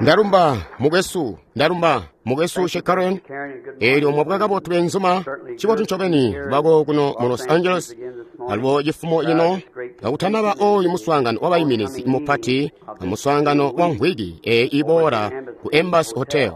Ndalumba mukwesu, ndalumba mukwesu Shekaren. Eelyo mwabwa kabotu benzuma, cibotu ncobeni bako kuno mu Los Angeles. Alubo cifumo cino kakutanaba oyu muswaangano w'abayiminizi mupati amuswaangano wa mvwiki iboola ku Embassy Hotel.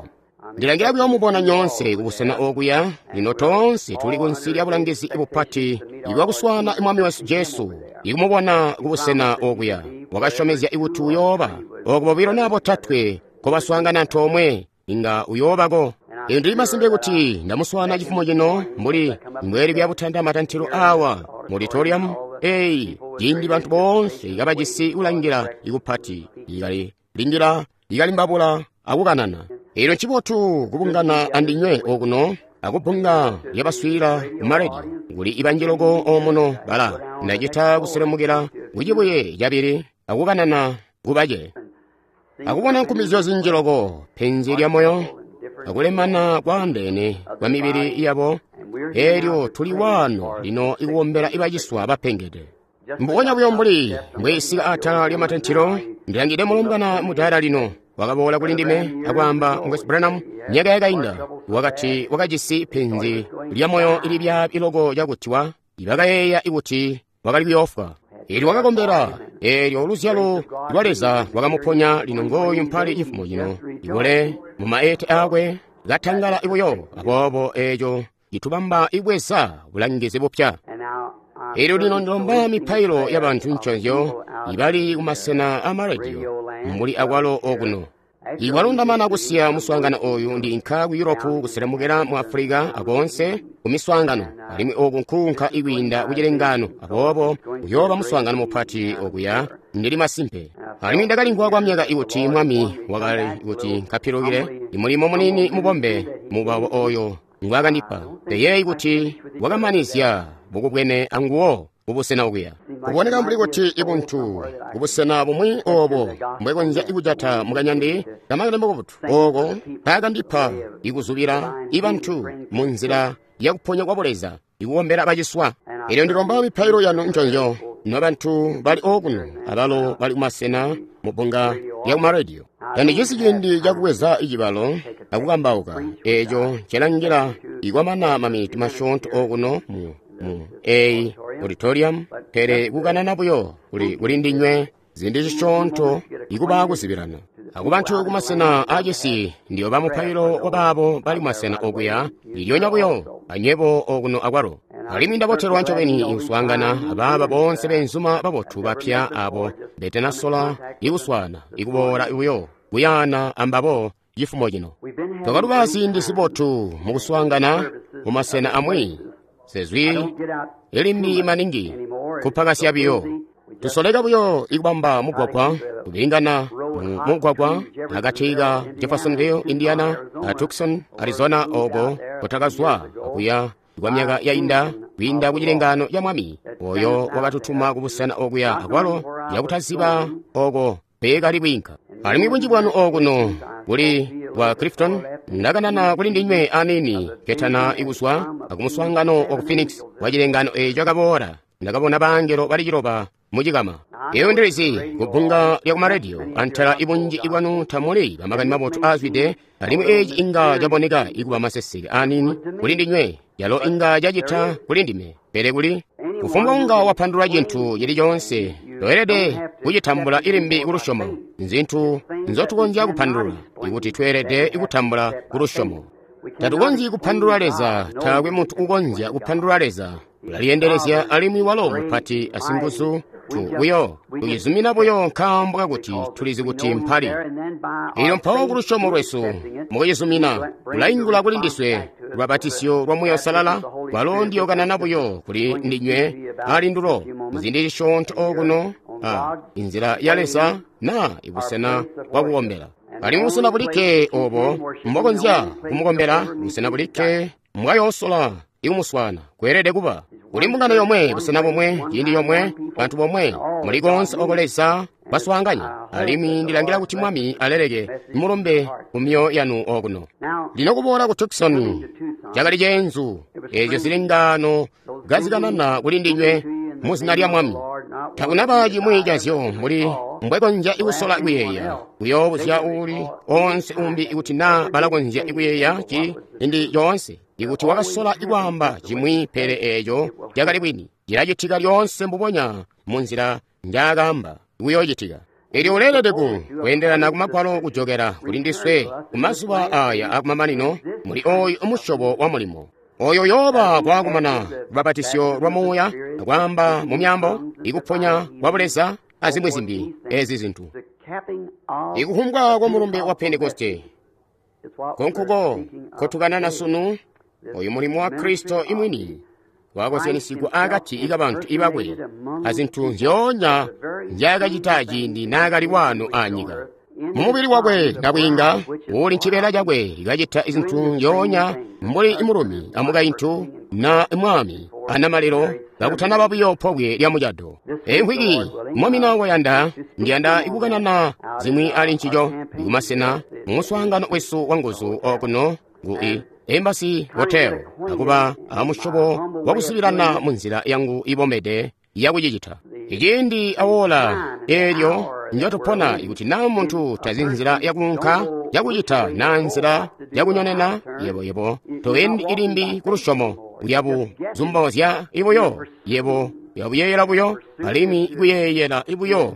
Ndilangira kuyomubona nyonse kubusena okuya. Lino toonse tuli kunsi lya bulangizi bupati ibwakuswaana Mwami wesu Jesu, ikumubona kubusena okuya. Wakasyomezya kuti uyooba oko bobilo naa botatwe nkobaswaangana antoomwe, inga uyoobako. Ino ndili masimpe kuti ndamuswaana cifumo cino mbuli mbweli kuyabutanda matantilo awa mu auditorium eyi, ciindi bantu boonse kabajisi kulangila ikupati, ikali lindila, ikalimbabula akukanana. Ino ncibotu kubungana andinywe okuno akubbunga lyabaswiila kumarediyo kuli ibanji loko omuno bala ndacita kuselemukila kucibuye cabili akukanana kubace akubona nkumizyo zinji loko, penzi lya moyo akulemana kwaandeene kwa mibili yabo. Eelyo tuli waano lino ikuwombela ibaciswa bapengede. Mbubonya buyo mbuli mbweisika atala lya matantilo, ndilangide mulombwana mudaala lino wakaboola kuli ndime akwaamba, Mukwesu Branham, myaka yakainda wakati wakajisi penzi lya moyo ilibyaabi loko cakuti ibakayeeya kuti wakali kuyoofwa. Eelyo wakakombela, eelyo luzyalo lwa Leza lwakamuponya. Lino ngooyu mpali cifumo cino ibole mu maete aakwe katangala buyo. Aboobo eeco citubamba ibweza bulangizi bupya. Eelyo lino ndilomba mipailo ya bantu nconzyo ibali kumasena amarediyo mbuli akwalo okuno. Ikwalundamana kusiya muswaangano oyu ndiinka ku Europe kuselemukela mu Africa akoonse ku miswaangano, alimwi oku nkuunka ikwiinda kucilengano. Aboobo uyooba muswaangano mupati okuya, ndili masimpe. Alimwi ndakalimvwa kwa myaka ikuti Mwami wakali kuti nkapilukile imulimo munini mubombe mubawo oyo ngwaakandipa. Ndeyeeyi kuti wakamanizya bukubwene anguwo kubusena okuya. Kuboneka mbuli kuti ibuntu kubusena bumwi obo mbwekonzya ikujata mukanyandi kamakani mabotu oko kaakandipa ikuzubila ibantu mu nzila yakuponya kwa buleza, ikukombela baciswa. Eelyo ndilomba mipailo yanu nconzyo nobantu bali okuno abalo bali kumasena mu bbunga lya kumarediyo. Tandijisi ciindi cakubweza icibalo akukambauka eeco ncelangila ikwamana maminiti masyoonto okuno mu eyi auditorium, pele kukanana buyo kuli ndinywe ziindi zisyoonto ikuba kuzibilana akubantu kumasena aacisi. Ndiyoba mupailo wabaabo bali kumasena okuya ndilyonya buyo anywebo okuno akwalo. Alimwi ndabotelwa ncobeni ikuswaangana abaaba boonse beenzuma babotu bapya abo betanasola ikuswaana ikuboola buyo kuyaana ambabo cifumo cino. Twakaluba ziindi zibotu mukuswaangana mumasena amwi sezwi ilimbi maningi kupakasya biyo. Tusoleka buyo ikubamba mugwagwa kubingana mu mugwagwa akati ka Jeffersonville, Indiana a Tucson, Arizona, oko kutakazwa kuya kwa myaka yainda kwiinda kucilengano ca Mwami oyo wakatutuma kubusena okuya akwalo yakutaziba oko peekali kwiinka. Alimwi bunji bwanu okuno kuli bwa Clifton, ndakanana kuli ndinywe anini ketana ikuzwa akumuswaangano wa ku Phoenix wa cilengano eco cakaboola. Ndakabona bangelo bali ciloba mucikama. Eyo ndilizi kubbunga lya kumarediyo antala ibunji ibwanu tamuli bamakani mabotu aazwide, alimwi eci inga caboneka ikuba maseseke anini kuli ndinywe, yalo inga cacita kuli ndime. Pele kuli kufumbwa unga wapandulula cintu cili coonse, toelede kucitambula ilimbi kulusyomo. Nzintu nzotukonzya kupandulula ikuti tweelede kutambula kulusyomo. Tatukonzyi kupandulula Leza, taakwe muntu ukonzya kupandulula Leza. Ulalyendelezya alimwi walo mupati asinguzu. Buyo tucizumina buyo nkaambo kakuti tulizi kuti mpali. Elyo mpawo kulusyomo lwesu mukucizumina kulaingula kuli ndiswe lubabatisyo lwa Muuya Uusalala, lwalo ndiyokanana buyo kuli ndinywe alindulo muziindi zisyoonto okuno a inzila ya Leza na ibusena bwakukombela. Alimwi busena bulikke obo mbokonzya kumukombela, busena bulikke mbwayoosola ikumuswaana, kweelede kuba kuli mbungano yomwe, busena bomwe, ciindi yomwe, bantu bomwe, muli koonse oko Leza baswaanganya. Alimwi ndilangila kuti Mwami aleleke mulumbe ku myoyo yanu okuno. Lino kuboola ku Tucson cakali ceenzu, eezyo zilengano kazikanana kuli ndinywe mu zina lya Mwami. Takunaba cimwi cazyo mbuli mbwekonzya kusola kuyeeya. Kuyoobuzya uuli onse umbi ikuti naa balakonzya kuyeeya ciindi coonse. Ikuti wakasola kwaamba cimwi pele eeco cakali bwini. Cilacitika lyoonse mbubonya munzila njaakaamba kuyoocitika. Elyo uleelede kweendelana kumagwalo kujokela kuli ndiswe kumazuba aya akumamanino muli oyu musyobo wa mulimo. Oyo yooba kwakumana lubapatisyo lwa muuya, kwaamba mu myaambo, ikuponya kwa buleza, azimwi zimbi ezi zintu. Ikuhumbwa kwa mulumbe wa Pentekoste konkuko kotukanana sunu, oyu mulimo wa Kristo imwini wakozyanisigwa akati kabantu ibakwe azintu nzyoonya nzyaakacita ciindi naakali wano anyika. Mumubili wakwe nabwiinga uli ncibeela cakwe kacita zintu nzyoonya mbuli mulumi amukaintu na mwami anamalelo kakutanaba buyo pobwe lya mucado. Emvwiki mwamina wayanda ndiyanda ikukanana zimwi ali ncico kumasena mumuswaangano wesu wanguzu okuno ku Embassy Hotel akuba amusyobo wakusibilana munzila yangu ibomede yakucicita. Iciindi awola eelyo njotupona ikuti naa muntu tazi nzila yakuunka yakucita naa nzila yakunyonena yebo toendi ilimbi kulusyomo uyabu zumbozya ibuyo yebo yabuyeeyela buyo alimwi kuyeeyela ibuyo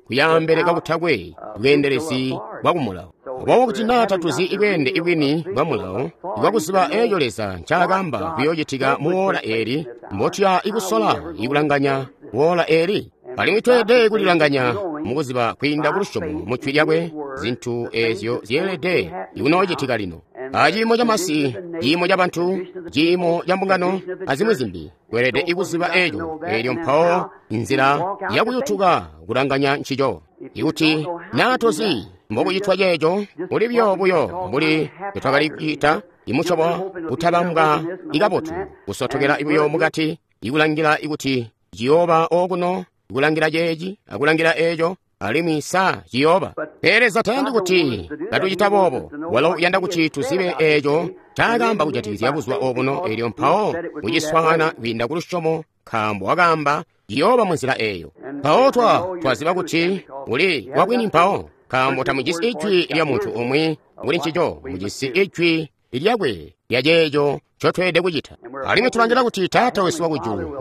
kuyaambele kakutakwe bweendelezi bwa kumulawo. Aboobo kuti naa tatuzi ibweende ibwini bwa mulawo bwakuziba eeco Leza ncaakaamba kuyoocitika muwoola eeli, mbotuya ikusola ikulanganya woola eeli. Alimwi tweelede kulilanganya mukuziba kwiinda kulusyomo mu jwi lyakwe zintu eezyo zyeelede ikunoocitika lino. Aciimo camasi, ciimo cabantu, ciimo ca mbungano, azimwi zimbi, tweelede ikuziba eeco, eelyo mpawo nzila yakuyutuka kulanganya ncico. Ikuti naa tozi mbokucitwa ceeco, uli buyo mbuli twakali kucita imusyobo kutabambwa ikabotu, kusotokela buyo mukati, ikulangila ikuti ciyooba okuno, ikulangila ceeci, akulangila eeco, alimwi sa ciyooba. Pele Leza tayandi kuti katucita boobo. Walo uyanda kuti tuzibe eeco ncaakaamba kujatikizya buzuba obuno, eelyo mpawo kuciswaana kwiinda kulusyomo, nkaambo wakaamba ciyooba munzila eeyo. Mpawo twaziba kuti uli wabwini mpawo, nkaambo tamujisi ijwi lya muntu umwi kuli ncico, mujisi ijwi lyakwe lya ceeco ncotweelede kucita. Alimwi tulangila kuti Taata wesu wakujulu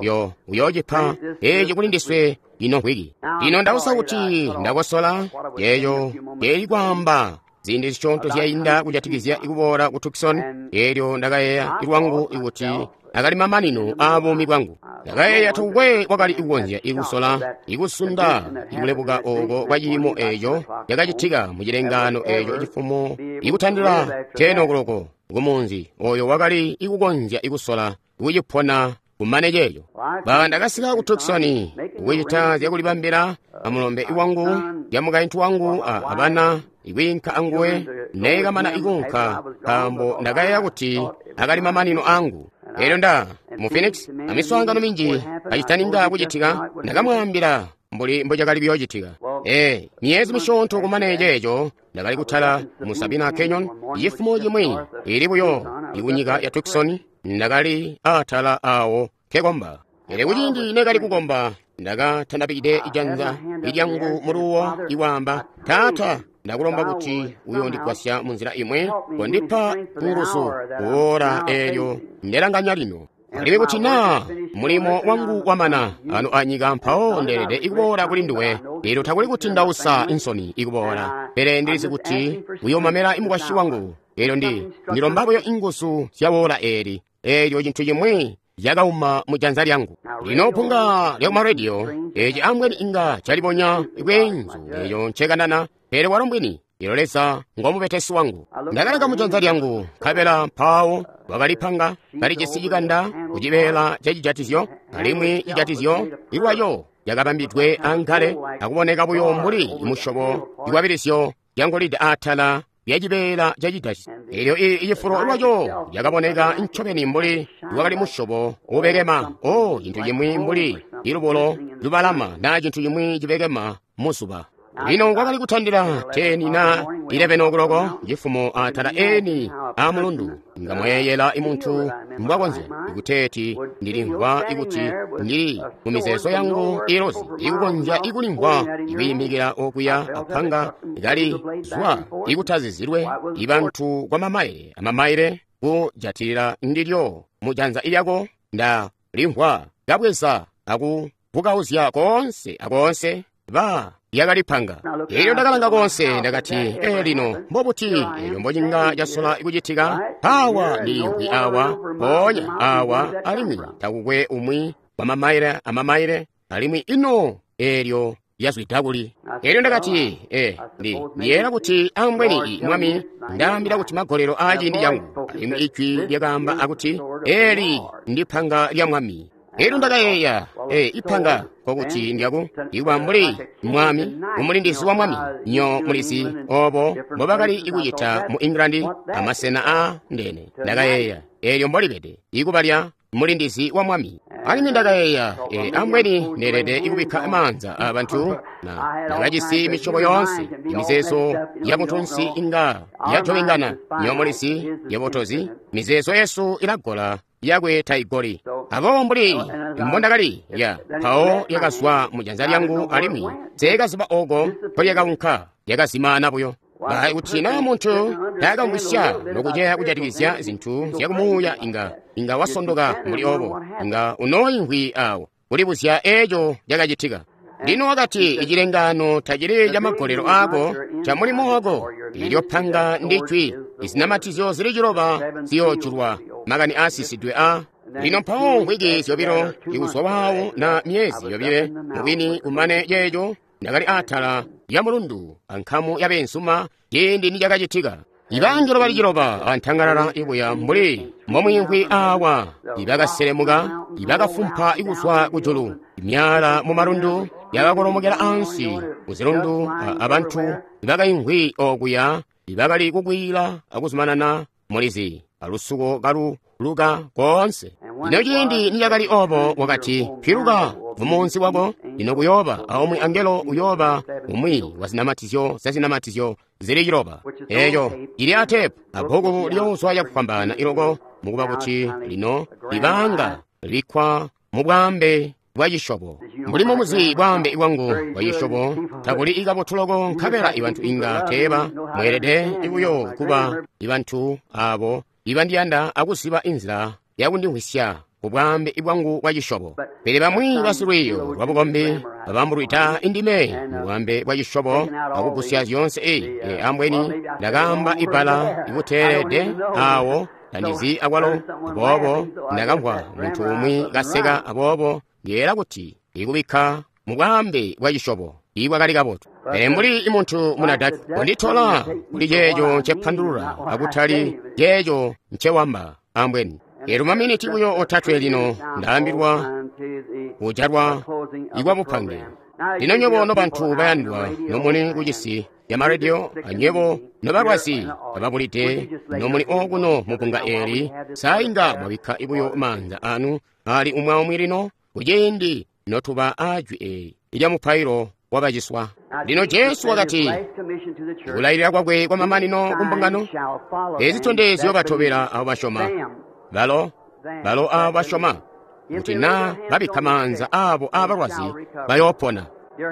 uyoocipa eeci kuli ndiswe ino mvwiki. Lino ndausa kuti ndakosola yeeyo yeeli kwaamba ziindi zisyoonto zyainda kujatikizya ikuboola ku Tucson, eelyo ndakayeeya lwangu ikuti akali mamanino aabuumi bwangu. Ndakayeeya takukwe wakali kukonzya ikusola ikusunda ikulebuka ooko kwa ciimo eeco cakacitika mu cilengaano eeco cifumo ikutandila 10 o'clock kumunzi oyo wakali ikukonzya ikusola kucipona kumane ceeco. Ndakasika ku Tucson kucita zyakulibambila amulombe wangu ya mukaintu wangu abana ikwiinka anguwe neekamana ikuunka, nkaambo ndakayeeya kuti akali mamanino angu. Eelyo mu Phoenix amiswaangano minji kacitaninga kucitika, ndakamwaambila mbuli mbocakali kuyoocitika. Myezi misyoonto kumane ceeco ndakali kutala mu Sabina Canyon cifumo cimwi ili buyo ikunyika ya Tucson, ndakali atala awo nkekomba. Pele kuciindi neekali kukomba, ndakatandabikide ijanza lyangu muluwo ikwaamba, Taata, ndakulomba kuti uyondigwasya munzila imwe, kondipa nguzu kuwoola eelyo ndelanganya lino. Alimwi kuti naa mulimo wangu wamana ano anyika, mpawo ndeelede ikuboola kuli nduwe. Eelyo takuli kuti ndausa insoni ikuboola, pele ndilizi kuti uyoomamela imukwasyi wangu. Eelyo ndilomba buyo inguzu zya woola eeli. Eelyo cintu cimwi cakauma mu janza lyangu. Lino punga lya kumarediyo eeci ambweni inga calibonya bweenzu eeco ncekanana, pele walo mbwini. Ilo Leza ngomubetesi wangu. Ndakalanga mu janza lyangu, nkabela mpawo wakalipanga kalijisi cikanda kucibeela ca cijatizyo, alimwi cijatizyo ilwayo cakabambidwe ankale akuboneka buyo mbuli musyobo ikwabilisyo lyangolide atala lyacibeela ca cijatizyo. Eelyo icifulo lwaco cakaboneka ncobeni mbuli lwakali musyobo ubekema, cintu cimwi mbuli ilubulo lubalama naa cintu cimwi cibekema muzuba. Lino kwakali kutandila 10 na 11 okuloko cifumo atala eni a mulundu. Nga mweeyela imuntu mbwakonzya ikuteeti ndilimvwa ikuti ndili mu mizeezo yangu ilozi ikukonzya ikulimvwa ikuyimikila okuya apanga kali zwa ikutazizilwe ibantu kwa mamaile amamaile kujatilila ndilyo mu janza lyako. Nda limvwa kabweza aku vukauzya koonse akoonse ba lyakalipanga. Elyo ndakalanga koonse, ndakati, e lino mbobuti elyo mbocinga casola kucitika? Awa ndiliimvwi awa, mpoonya awa, alimwi takukwe umwi wa mamaile amamaile, alimwi ino eelyo lyazwida kuli? Elyo ndakati, e ndiyeera kuti ambweni Mwami ndaambila kuti magolelo aa ciindi cangu. Alimwi ijwi lyakaamba akuti, eli ndipanga lya Mwami. Elyo ndakayeeya, e ipanga kokuti ndyaku ikuba mbuli mwami, umulindizi wa mwami. Nyo mulizi obo mbobakali ikucita mu England amasena a ndene. Ndakayeeya, elyo mbolibede ikuba lya mulindizi wa mwami. Alimwi ndakayeeya, e ambweni ndeelede ikubikka maanza abantu na ndakajisi misyobo yoonse imizeezo ya buntunsi inga yajobingana. Nyo mulizi yabotozi, mizeezo yesu ilagola yakwe taigoli. Aboobo mbuli mbondakali ya mpawo lyakazwa mu janza lyangu, alimwi seekaziba oko mpolyakaunka, lyakazimaana buyo. Kuti na muntu taakamvwisya nokuceya kujatikizya zintu zyakumuuya, inga wasondoka mbuli obo, inga unooimvwi awo kulibuzya eeco cakacitika. Lino wakati, icilengaano tacili ca magolelo aako, ca mulimo wako. Ilyo panga ndijwi, izinamatizyo zili 9 ziyoojulwa, makani aasisidwe a. Lino mpawo mvwiki zyobilo ikuzwa waawo na myezi yobile mubwini kumane ceeco, ndakali atala lya mulundu ankamu ya beenzuma ciindi nicakacitika. Ibangelo bali 9 antangalala ibuya mbuli mbomwiimvwi awa, ibakaselemuka, ibakafumpa ikuzwa kujulu, imyala mu malundu yakakolomokela ansi kuzilundu, abantu ibakaimvwi okuya ibakali kukwiila akuzumanana mulizi alusuko kalu luka koonse. Lino ciindi nicakali obo, wakati, piluka mumunzi wako, lino kuyooba aumwi angelo uyooba umwi wa zinamatizyo za zinamatizyo zili 9. Eeco cili atepu abbuku liyoozwa cakufwambaana iloko, mukuba kuti lino libanga libikkwa mu bwaambe bwa cisyobo. Mbuli mumuzi bwaambe bwangu bwa cisyobo tabuli ikabotu loko, nkabela ibantu inga teeba mweelede buyo kuba ibantu abo ibandiyanda akuziba inzila yakundimvwisya kubwaambe bwangu bwa cisyobo. Pele bamwi basilwiiyo lwabukombi babambulwida indime mubwaambe bwa cisyobo akugusya zyoonse. E ambweni ndakaamba ibbala ikuteelede awo tandizi akwalo. Aboobo ndakamvwa muntu umwi kaseka, aboobo ndiyeera kuti ikubikka mubwaambe bwa cisyobo ibwakali kabotu. Pele mbuli muntu munadaki konditola kuli ceeco ncepandulula akutali ceeco ncewamba ambweni. Elyo maminiti buyo otatwe lino ndaambilwa kujalwa ikwabupange. Lino nywebo nobantu bayandwa nomuli kucisi ya marediyo, anywebo nobalwazi ababulide nomuli okuno mubbunga eeli, sainga mwabikka buyo maanza anu ali umwi lino kuciindi notuba ajwi eeli lya mupailo wabaciswa. Lino Jesu wakati kulailila kwakwe kwa mamanino kumbungano, ezi zitondezyo batobela abo basyoma, balo abo basyoma kuti na babikka maanza abo abalwazi bayoopona.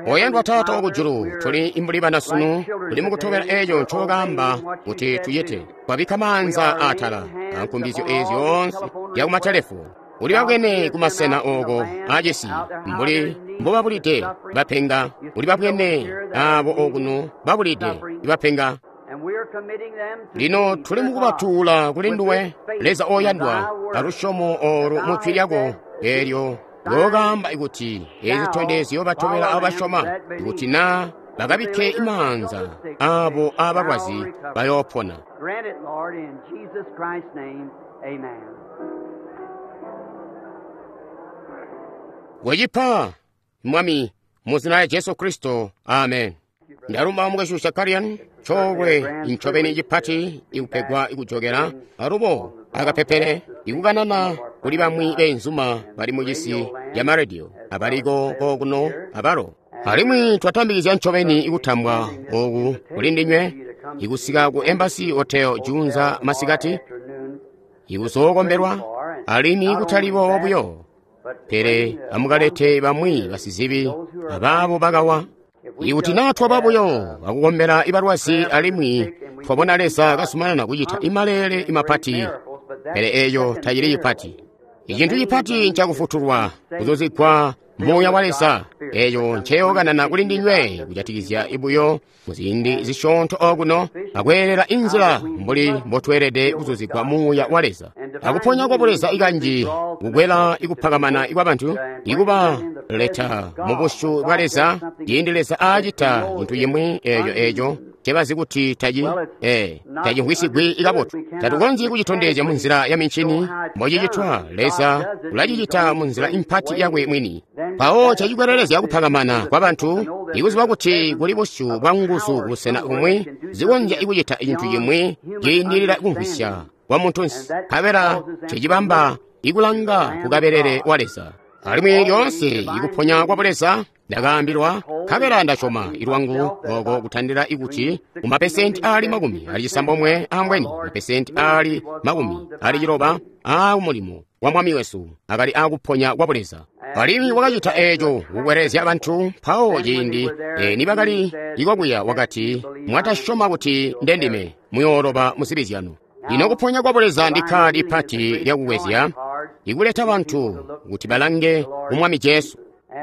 Oyandwa Taata wakujulu, tuli mbuli bana sunu, tuli mukutobela eeco ncokaamba kuti tuyite. Twabikka maanza atala ankumbizyo eezi zyoonse zyakumatelefu. Uli babwene kumasena oko acisi mbuli mbobabulide bapenga, uli babwene abo okuno babulide bapenga. Lino tuli mukubatuula kuli nduwe, Leza oyandwa, alusyomo olu mujwi lyako eelyo lyokaamba kuti ezi zitondezyo batobela abasyoma, kuti na bakabikke maanza abo abalwazi bayoopona. Wacipa Mwami muzina lya Jesu Kristo, amen. Ndalumba mukwesu Shakarian coolwe ncobeni cipati ikupegwa ikujokela alubo akapepele ikukanana kuli bamwi beenzuma bali mucisi ya marediyo abaliko kokuno abalo. Alimwi twatambikizya ncobeni ikutambwa oku kuli ndinywe ikusika ku Embassy Hotel juunza masikati ikuzookombelwa, alimwi kutali boobo buyo, pele amukalete bamwi basizibi abaabo bakawa. Ikuti naa twaba buyo akukombela ibalwazi alimwi twabona Leza kazumanana kucita imaleele imapati, pele eeyo tacili cipati. Icintu cipati ncakufutulwa, kuzuzigwa Muuya wa Leza. Eeyo nceyokanana kuli ndinywe kujatikizya ibuyo muziindi zisyoonto okuno, akweelela inzila mbuli mbotweelede kuzuzigwa Muuya wa Leza. Akuponya kwa Buleza ikanji kukwela ikupakamana kwa bantu, ikuba leta mu busyu bwa Leza, ciindi Leza aacita cintu cimwi eeco ncebazi kuti tacimvwisigwi ikabotu. Tatukonzyi kucitondezya munzila ya mincini mbocicitwa. Leza ulacicita munzila impati yakwe mwini. Mpawo cacikwelelezya kupakamana kwa bantu, ikuziba kuti kuli busyu bwa nguzu kubusena bumwi zikonzya ikucita cintu cimwi ciindilila kumvwisya kwa muntunsi, nkabela cicibamba ikulanga kukabelele wa Leza. Alimwi lyoonse ikuponya kwa Buleza ndakaambilwa, nkabela ndasyoma ilwangu oko kutandila ikuti kumapesenti aali 96 ambweni mapesenti aali 90 aakumulimo wa Mwami wesu akali aakuponya kwa Buleza. Alimwi wakacita eeco kukwelelezya bantu. Mpawo ciindi nibakali ikwakuya wakati, mwatasyoma kuti ndendime, muyooloba muzibi zyanu. Lino kuponya kwa Buleza ndi kkaadi pati lyakukwezya ikuleta bantu kuti balange ku Mwami Jesu.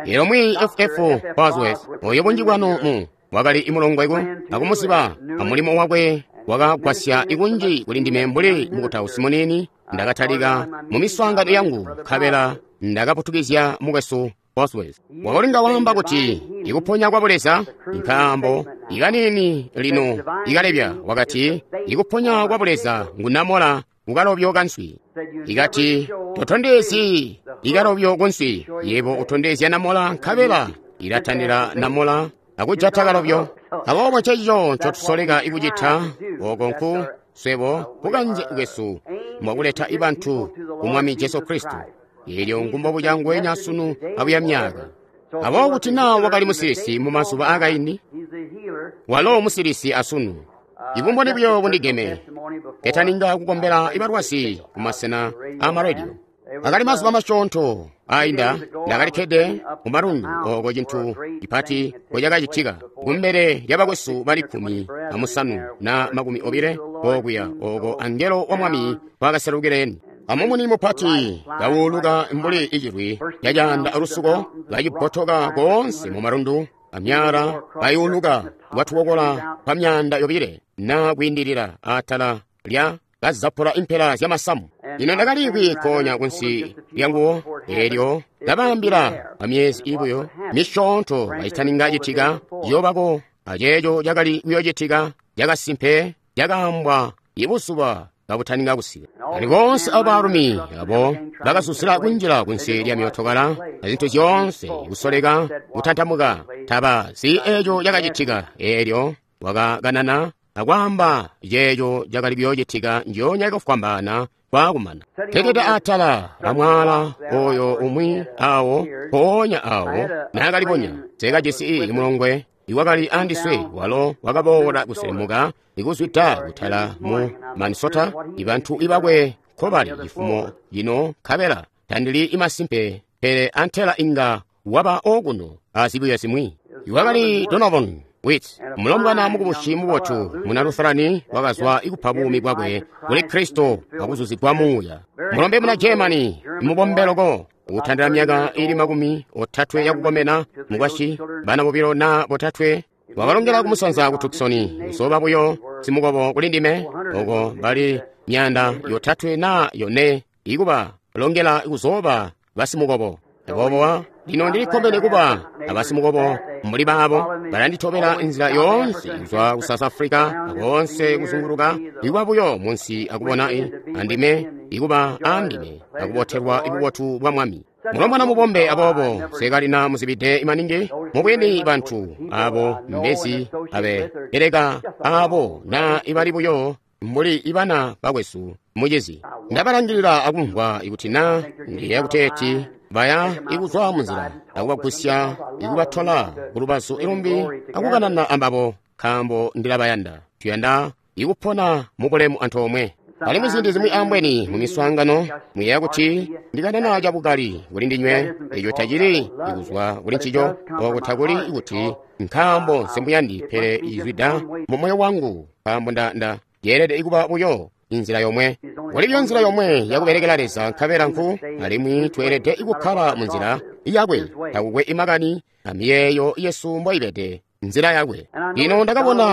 Elo mwi F.F. Bosworth, oyo bunji bwanu mu wakali imulongweko akumuziba amulimo wakwe wakagwasya ikunji kuli ndime mbuli mukutausi munini. Ndakatalika mu miswaangano yangu nkabela ndakaputukizya mukwesu Bosworth. Wakalinga waamba kuti ikuponya kwa Buleza nkaambo ikanini lino ikalebya, wakati ikuponya kwa Buleza ngunamola kukalobyo kanswi. Ikati totondezyi ikalobyo kunswi, yebo utondezya namola, nkabela ilatandila namola akujata kalobyo. Aboobo ncencico ncotusoleka ikucita oko nku swebo kukanze kwesu mwakuleta ibantu ku Mwami Jesu Kristo. Eelyo ngumbobu cangwenya sunu abuya myaka. Aboobo kuti naa wakali musilisi mu mazuba aakaindi, walo musilisi asunu. Ibumboni buyo bundigeme ketaninga kukombela ibalwazi kumasena aamaradio. Akali mazuba masyoonto ainda ndakalikkede mu malundu oko cintu cipati kocakacitika kumbele lyabakwesu bali 15 na 20 okuya oko angelo wa Mwami kwakaselukileni. Amumuni mupati kawuluka mbuli icilwi cacaanda alusuko kacibbotoka koonse mu malundu amyala kayuluka kwatukokola kwa myanda yobile na kwiindilila atala lya kazapula impela zyamasamu. Lino ndakaliimvwi konya kunsi lyanguwo, eelyo ndabaambila kwa myezi ibuyo misyoonto kacitaninga citika ciyobako, aceeco cakali kuyoocitika cakasimpe cakaambwa ibuzuba kabutaninga kusika. Ali bonse abo baalumi abo bakasusila kunjila kunsi lya myootokala azintu zyoonse kusoleka kutantamuka tabazi eeco cakacitika. Eelyo wakakanana akwaamba ceeco cakali kuyoocitika njoonya kufwambaana kwakumana. Teketa atala amwala oyo umwi awo mpoonya awo naakalibonya nsekajisi imulongwe iwakali andiswe, walo wakaboola kuselemuka ikuzwida kutala mu Minnesota, ibantu ibakwe nkobali cifumo cino, nkabela tandili imasimpe, pele antela inga waba okuno azibuyo zimwi. Iwakali Donovan Wit, mulombwana mukubusi mubotu muna Lutherani, wakazwa ikupa buumi bwakwe kuli Kristo akuzuzigwa Muuya. Mulombe muna Germany mubombeloko ukutandila myaka ili 30 yakukomena, mukwasyi bana bobilo na botatwe, wakalongela kumusanza ku Tucson kuzoba buyo simukobo kuli ndime, oko bali 300 na 4 ikuba longela kuzoba basimukobo. Aboobo lino ndilikkomene kuba abasimukobo mbuli baabo balanditobela nzila yoonse kuzwa ku South Africa akoonse kuzunguluka, ikuba buyo munsi akubona andime, ikuba andime akubotelwa ibubotu bwa Mwami. Mulombwana mubombe aboobo sekalina muzibide imaningi mubwini bantu abo mbezi abe eleka abo na ibali buyo mbuli ibana bakwesu mucizi. Ndabalangilila akumvwa ikuti na ndiye kuteeti Baya ikuzwa munzila akubagwisya ikubatola kulubazu ilumbi akukanana ambabo, nkaambo ndilabayanda. Tuyanda ikupona mubulemu antoomwe. Alimwi ziindi zimwi ambweni mu miswaangano muyeeya kuti ndikanana cabukali kuli ndinywe, eco tacili ikuzwa kuli ncico, oko takuli kuti nkaambo nsemuyandi, pele izwida mu moyo wangu, nkaambo nda yeelede kuba buyo inzila yomwe. Kuli buyo nzila yomwe yakubelekela Leza, nkabela nku, alimwi tweelede kukkala mu nzila yakwe, takukwe imakani amiyeeyo yesu mboibede, nzila yakwe. Lino ndakabona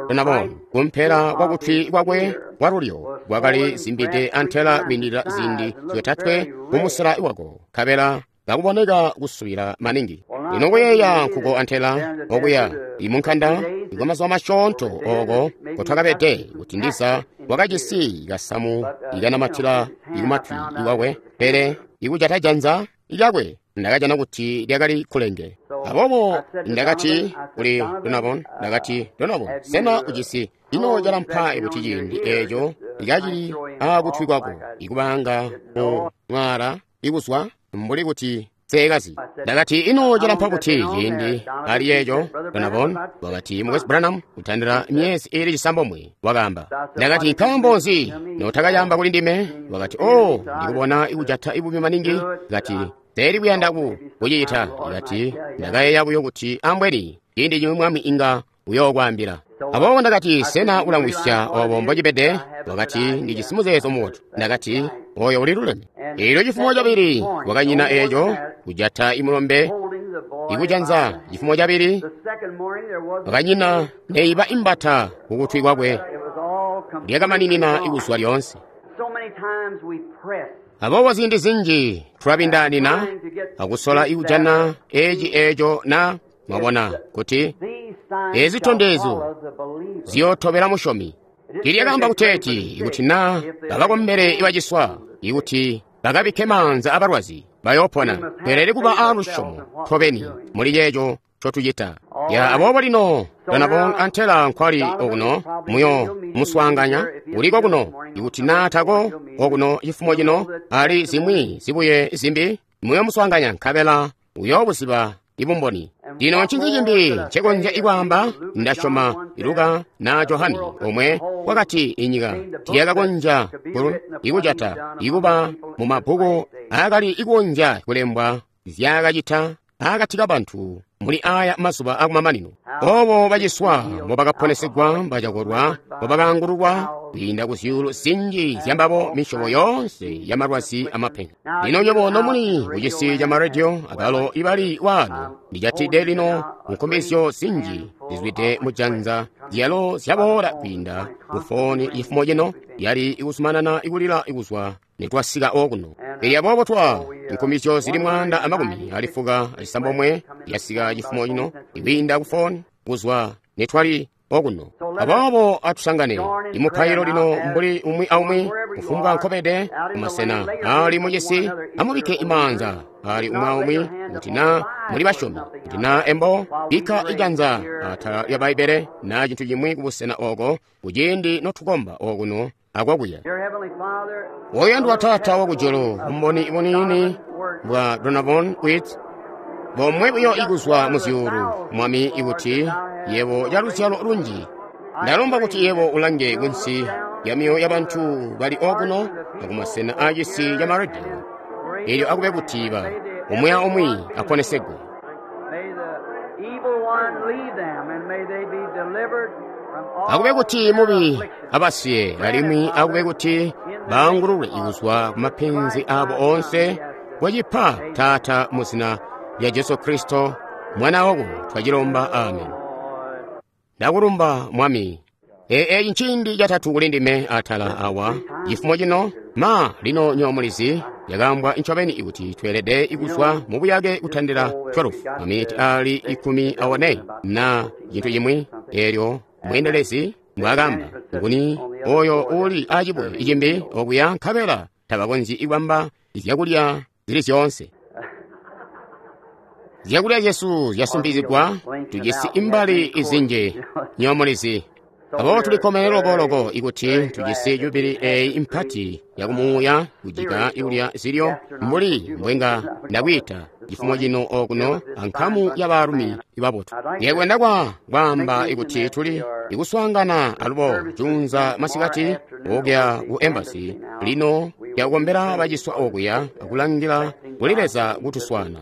Donovan kumpela kwa kutwi kwakwe kwalulyo kwakali zimbide antela kwiindilila ziindi zyotatwe mumusela wako, nkabela kakuboneka kusubila maningi. Lino kuyeeya nkuko antela okuya imunkanda ikwamazuba masyoonto oko kotwakabede, kuti ndiza wakajisi kasamu ikanamatila ikumatwi iwakwe, pele ikujata janza lyakwe ndakajana kuti lyakali kulenge. Aboobo ndakati kuli Donovan, ndakati, Donovan, sena ujisi ino calampa kuti ciindi eeco ikacili akutwi kwako ikubanga mu mwaala ikuzwa mbuli kuti seekazi. Ndakati, ino calampa kuti ciindi ali yeeco? Donovan wakati, Mukwesu Branham, kutandila myezi ili 9, wakaamba. Ndakati, nkaambo nzi notakayamba kuli ndime? Wakati, oh, ndikubona ikujata ibubi maningi. Kati, seeli kuyanda kucita. Ndakati, ndakayeeya buyo kuti ambweni ciindi cimwi Mwami inga uyookwaambila. Aboobo ndakati, sena ulamwisya obo mbocibede? Wakati, ndijisi muzeezo mubotu. Ndakati, oyo uliluleme. Eelyo cifumo cabili wakanyina eeco kujata imulombe ikujanza. Cifumo cabili wakanyina neiba imbata kukutwi kwakwe, lyakamaninina ikuzwa lyoonse. Aboobo ziindi zinji tulabindaanina akusola ikujana eci eeco na mwabona kuti ezi zitondezyo ziyootobela musyomi. Tilyakaamba kuteeti ikuti na bakakombele ibaciswa, ikuti bakabikke maanza abalwazi bayoopona. Tweelede kuba aalusyomo tobeni muli ceeco ncotucita. Ya aboobo lino Donovan antela nkwali okuno muyo muswaanganya uliko kuno, ikuti na tako okuno cifumo cino ali zimwi zibuye zimbi muyo muswaanganya, nkabela uyoobuziba ibumboni. Lino ncinzi cimbi ncekonzya ikwaamba? Ndasyoma Luka na Johani omwe wakati inyika tiyakakonzya ikujata ikuba mu mabbuku aakali ikonzya kulembwa zyakacita akati kabantu muli aya mazuba akumamanino. Obo baciswa mbobakaponesegwa, bacakolwa mbobakaangululwa kwiinda ku zyuulu zinji zyambabo misyobo yoonse ya malwazi amapenzi. Lino nywebo nomuli kucisi ca maredio abalo ibali waano, ndijatide lino nkumbizyo zinji zizwide mujanza zyalo zyaboola kwiinda kufoni cifumo cino yali ikuzumanana ikulila ikuzwa nitwasika okuno. Elyo aboobo twa nkumbizyo zili 196 yasika cifumo cino ikwiinda kufoni kuzwa nitwali okuno. Aboobo atusangane imupailo lino mbuli umwi aumwi kufumbwa nkobede kumasena ali mucisi, amubikke imaanza ali umwi aumwi kuti na muli basyomi, kuti na embo bikka ijanza atala lya Bbaibbele na cintu cimwi kubusena oko kuciindi notukomba okuno akwakuya. Woyandwa Taata wakujulu, bumboni buniini bwa Donovan Witt bomwe buyo ikuzwa mu zyuulu, Mwami, ikuti yebo caluzyalo lunji ndalomba kuti yebo ulange kunsi ya myoyo ya bantu bali okuno akumasena aacisi ca maredio, elyo akube kuti ba umwi aumwi aponesegwe. Akube kuti mubi abasiye, alimwi akube kuti baangululwe ikuzwa ku mapenzi abo onse. Kwacipa Taata mu zina lya Jesu Kristo Mwana wako twacilomba, amen. Ndakulumba Mwami. Eeci nciindi catatu kuli ndime atala awa cifumo cino. Ma lino nyomulizi yakaambwa ncobeni ikuti tweelede ikuzwa mu buyake kutandila 12 maminiti ali 14 na cintu cimwi. Eelyo mweendelezi mbwaakamba, nguni oyo uli acibuye icimbi okuya, nkabela tabakonzyi ikubamba zyakulya zili zyoonse. Zyakulya zyesu zyasumbizigwa, tujisi imbali izinji nyomulizi. Aboobo tulikkomene loko ikuti tujisi jubili eyi mpati yakumuuya kujika ikulya zilyo mbuli mbwenga ndakwiita cifumo cino okuno ankamu ya baalumi ibabotu. Ndiyakwenda kwaamba ikuti tuli ikuswaangana alubo juunza masikati okuya ku embassy lino yakukombela baciswa okuya akulangila kuli Leza kutuswana.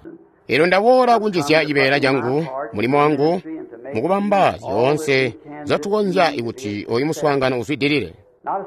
Elyo ndaboola kunjizya cibeela cangu, mulimo wangu, mukubamba zyoonse zatukonzya ikuti oyu muswaangano uzwidilile.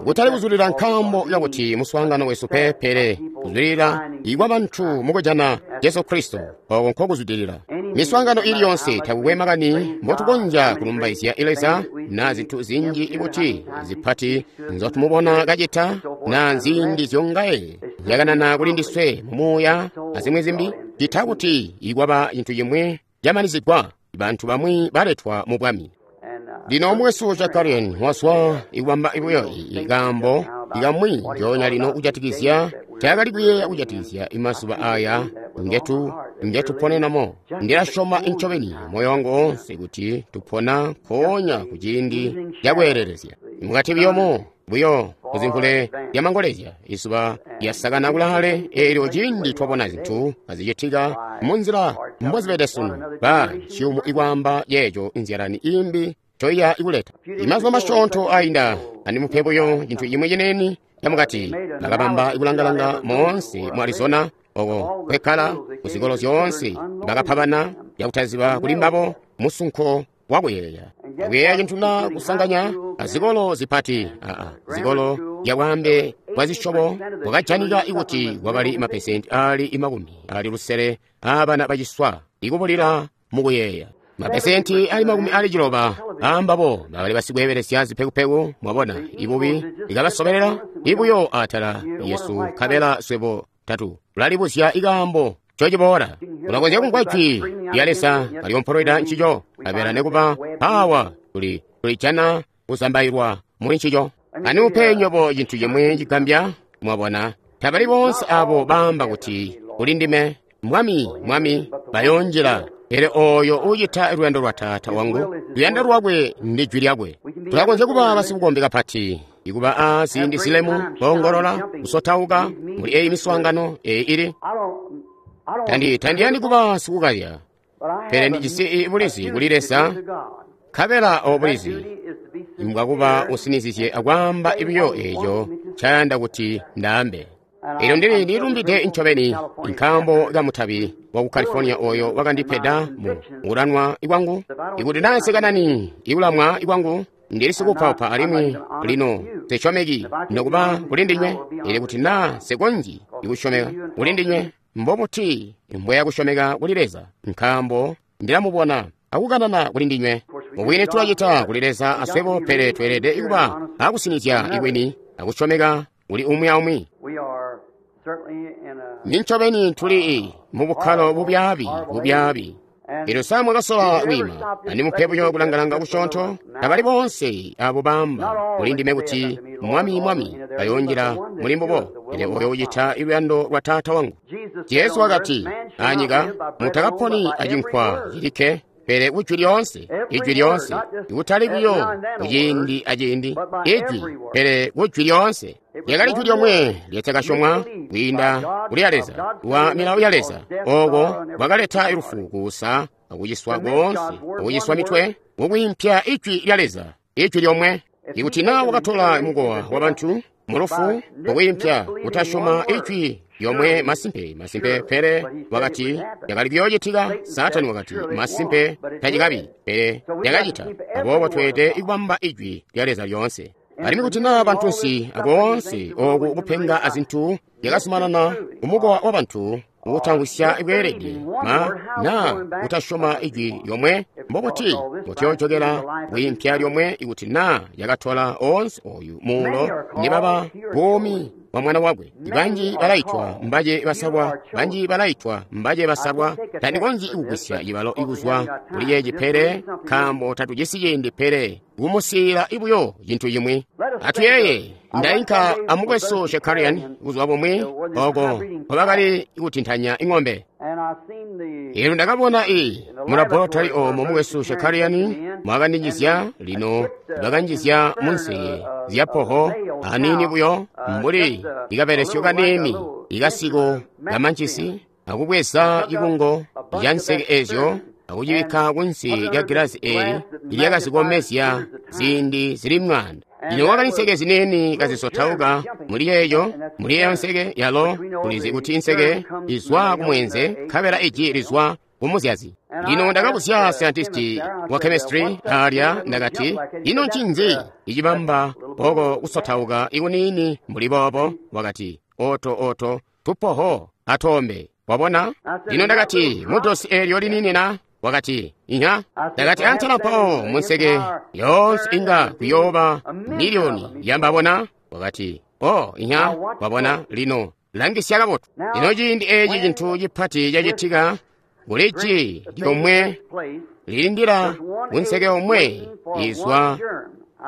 Kutali kuzulila nkaambo yakuti muswaangano wesu pe, pele kuzulila ikwa bantu mukujana Jesu Kristo, oko nkokuzwidilila. Miswaangano ili yonse takukwe makani mbotukonzya kulumbaizya Leza na zintu zinji ikuti zipati nzotumubona kacita na nziindi zyongaye zyakanana kuli ndiswe mumuuya azimwi zimbi, cita kuti ikwaba cintu cimwi camalizigwa, bantu bamwi baletwa mu bwami. Lino mukwesu Shakarian waswa ikubamba buyo ikaambo ikamwi njoonya lino kujatikizya taakali kuyeeya kujatikizya imazuba aya ngetuponenamo. Ndilasyoma incobeni moyo wangu oonse kuti tupona nkoonya ku ciindi cakweelelezya. Mukati buyomo buyo kuzimvule lyamangolezya izuba lyasakana kulaale, eelyo ciindi twabona zintu azicitika munzila mbozibede sunu, ba ciyumu ikwaamba yeeco inzyalani imbi coiya ikuleta. Imazuba masyoonto ainda andimupe buyo cintu cimwi cineni camukati, bakabamba ikulangalanga moonse mu Arizona oko kwekkala kuzikolo zyoonse, bakapa bana yakutaziba kuli mbabo musunko wakuyeeya. Kuyeeya cintu na kusanganya azikolo zipati, zikolo zyabwaambe bwa zisyobo bwakajanika ikuti kwakali mapesenti aali 60 aabana baciswa ikubulila mukuyeeya. Mapesenti ali 60 aambabo bakali basikweebelesya zipekupeku, mwabona, ibubi ikabasobelela ibuyo atala yesu nkabela swebo tatu tulalibuzya ikaambo cociboola. Ulakonzya kumvwa jwi lya Leza kalyompolweda ncico, nkabela nekuba awa tulijana kuzambailwa muli ncico. Andimupe nywebo cintu cimwi cigambya, mwabona, tabali boonse abo baamba kuti kuli ndime, Mwami, Mwami, bayoonjila, pele oyo uucita luyando lwa Taata wangu, luyando lwakwe ndi jwi lyakwe. Tulakonzya kuba basikukombe kapati, ikuba a ziindi zilemu, koongolola, kusotauka muli eyi miswaangano eyi ili. Tandiyandi kuba sikukalya, pele ndijisi bulizi kuli Leza, nkabela obo bulizi mbwakuba usinizizye akwaamba buyo eeco ncayanda kuti ndaambe. Elyo ndililumbide ncobeni nkaambo kamutabi waku California oyo wakandipeda mu kulanwa kwangu. Ikuti naasekanani ikulamwa kwangu, ndili sikupaupa alimwi lino nsisyomeki nokuba kuli ndinywe. Elyo kuti naa nsikonzyi ikusyomeka kuli ndinywe, mbobuti mbweya kusyomeka kuli Leza? Nkaambo ndilamubona akukanana kuli ndinywe. Mubwini tulacita kuli Leza aswebo, pele tweelede kuba akusinizya ikwini akusyomeka kuli umwi aumwi. Nincobeni tuli mu bukkalo bubyaabi. Elyo sa mwakasola kwiima andimupe buyo kulangalanga kusyoonto? Tabali boonse abo baamba kuli ndime kuti Mwami, Mwami, bayoonjila muli mbubo, pele oyo ucita luyando lwa Taata wangu. Jesu wakati, anyika mutakaponi acinkwa cilikke, pele kujwi lyoonse, ijwi lyoonse, ikutali buyo kuciindi aciindi, ijwi, pele kujwi lyoonse. Lyakali jwi lyomwe lyatakasyomwa kwiinda kuli ya Leza, wa milawo ya Leza, oko bwakaleta lufu, kuusa, akuciswa koonse, akuciswa mitwe, kukwiimpya ijwi lya Leza, ijwi lyomwe. Ikuti naa wakatola mukowa wa bantu mulufu kukwiimpya kutasyoma ijwi lyomwe, masimpe, masimpe, pele wakati yakali kuyoocitika. Saatani wakati masimpe tacikabi, pele yakacita. Aboobo tweelede kubamba ijwi lya Leza lyoonse. Alimwi kuti naa bantunsi akoonse oku kupenga azintu yakazumanana kumukowa wa bantu kutamvwisya bweelede naa kutasyoma ijwi lyomwe, mbobuti mutiyojokela kwiimpya lyomwe ikuti naa yakatola oonse oyu muulo nibaba buumi bwa mwana wakwe? Banji balaitwa mbaje basalwa, banji balaitwa mbaje basalwa. Tandikonzyi kugwisya cibalo ikuzwa kuli ceeci, pele nkaambo tatujisi ciindi, pele kumusiila ibuyo cintu cimwi. Atuyeeye, ndainka amukwesu Shakarian buzuba bumwi oko nkobakali kutintanya ing'ombe. Eelyo ndakabona mu laboratory omo mukwesu Shakarian mwakandinjizya, lino bakanjizya munseke zya poho aniini buyo mbuli ikabelesyo kaniini ikasiko kamanchisi, akubweza cikungo ca nseke ezyo akucibikka kunsi lya gilazi eeli ilyakazikomezya ziindi zili 100. Lino wakali nseke ziniini kazisotauka muli yeeyo, muli eyo nseke yalo tulizi kuti inseke izwa kumwenze nkabela iji lizwa kumuzyazi. Lino ndakabuzya scientist wa chemistry alya, ndakati, ino ncinzi icibamba oko kusotauka ikuniini mbuli boobo? Wakati, oto tupoho atoombe. Wabona? Lino ndakati, mudosi eelyo liniini na? Wakati, inya. Ndakati, antela mpawo munseke yoonse inga kuyooba miliyoni yambabona? Wakati, oh, inya. Wabona? Lino langisya kabotu. Lino ciindi eci cintu cipati cacitika, kuli ji lyomwe lilindila kunseke omwe izwa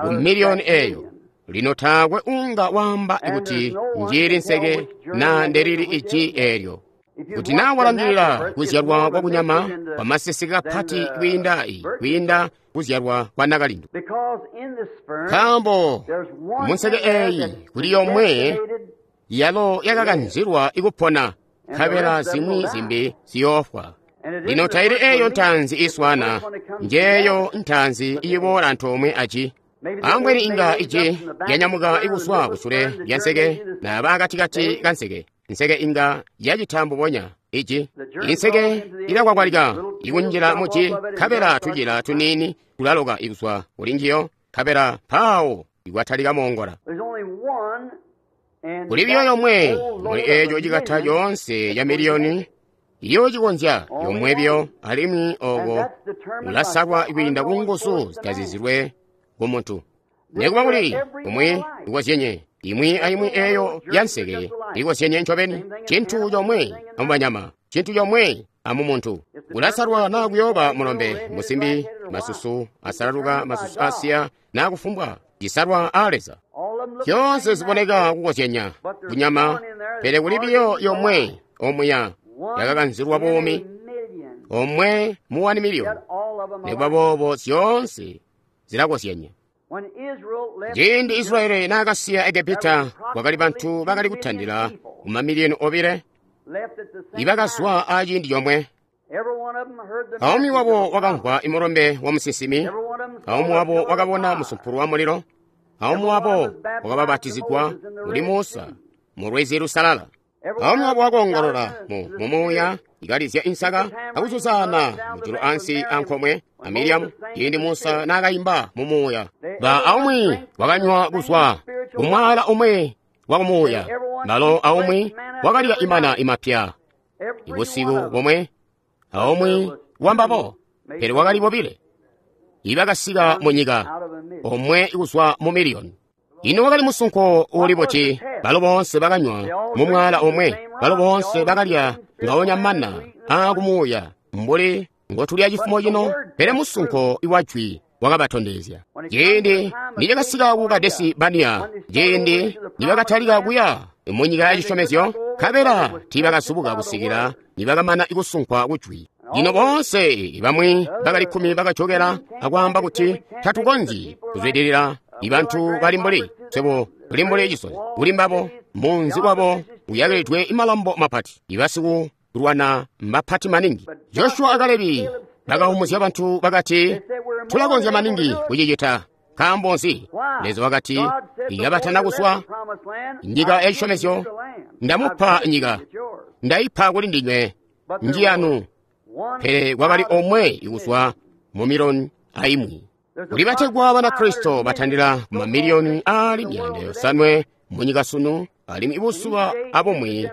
ku miliyoni eyo. Lino taakwe unga wamba kuti njili nseke na ndelili iji eelyo. Kuti naa walangilila kuzyalwa kwa kunyama kwamaseseke kapati kwiinda kuzyalwa kwa nakalindu. Nkaambo munseke eeyi kuli yomwe yalo yakakanzilwa ikupona, nkabela zimwi zimbi ziyoofwa. Lino taili eeyo ntaanzi iswana, njeeyo ntaanzi iboola antoomwe aji. Ambweni inga iji lyanyamuka ikuswa kusule lya nseke naba akatikati ka nseke. Nseke inga yacita mbubonya iji. Inseke ilakwakwalika ikunjila muji, nkabela tujila tuniini tulaloka ikuswa kuli njiyo, nkabela mpawo ikwatalika moongola. Kuli biyo yomwe muli eeco cikata coonse ca miliyoni iyo cikonzya yomwe biyo, alimwi oko ulasalwa kwiinda ku nguzu zitazizilwe ku muntu. Nekuba kuli umwi ikozyenye imwi aimwi eeyo ya nseke ikozyenye ncobeni, cintu comwe amubanyama, cintu comwe amumuntu. Ulasalwa naa kuyooba mulombe, musimbi, masusu asalaluka, masusu asiya, naa kufumbwa cisalwa a Leza. Zyoonse ziboneka kukozyanya kunyama, pele kuli biyo yomwe omuya yakakanzilwa buumi, omwe mu 1 miliyoni. Nekuba boobo zyoonse zilakozyanya. Ciindi Israeli naakasiya Egepita, kwakali bantu bakali kutandila ku mamiliyoni 2 ibakazwa aciindi comwe. Aumwi wabo wakamvwa imulombe wa musinsimi, aumwi wabo wakabona musumpulu wa mulilo, aumwi wabo wakababatizigwa kuli Musa mu lwizi lusalala. Aumwi wabo wakoongolola mu muuya ikalizya insaka akuzuzana mujulu ansi ankomwe a Miriamu ciindi Musa naakayimba mu muuya. Ba aumwi wakanywa kuzwa kumwala umwe wa kumuuya, balo aumwi wakalya imana imapya ibusiku bomwe, aumwi wambabo, pele wakali bobile ibakasika mu nyika, omwe kuzwa mu miliyoni. Ino wakali musunko uli buti? Balo boonse bakanywa mu mwala omwe, balo boonse bakalya ngaonya mana aakumuuya mbuli ngotulya cifumo cino, pele musunko wa jwi wakabatondezya. Ciindi nicakasika ku Kadesi Bania, ciindi nibakatalika kuya mu nyika ya cisyomezyo, nkabela tiibakazubuka kusikila nibakamana kusunkwa kujwi. Lino boonse bamwi bakali 10 bakajokela akwaamba kuti tatukonzyi kuzwidilila. Ibantu bali mbuli swebo tuli mbuli cisozi kuli mbabo, munzi wabo uyakilidwe malambo mapati, ibasikulwana mbapati maningi. Joshua a Kalebi bakahumuzya bantu bakati, tulakonzya maningi kucicita. Nkaambo nzi? Leza wakati, ikabatana kuswa nyika ya cisyomezyo, ndamupa nyika, ndaipa kuli ndinywe, njiyanu. Pele kwakali omwe ikuswa mu miliyoni aimwi. Kuli bategwa Banakristo batandila ku mamiliyoni aali 500 munyika sunu, alimwi ibuzuba abumwi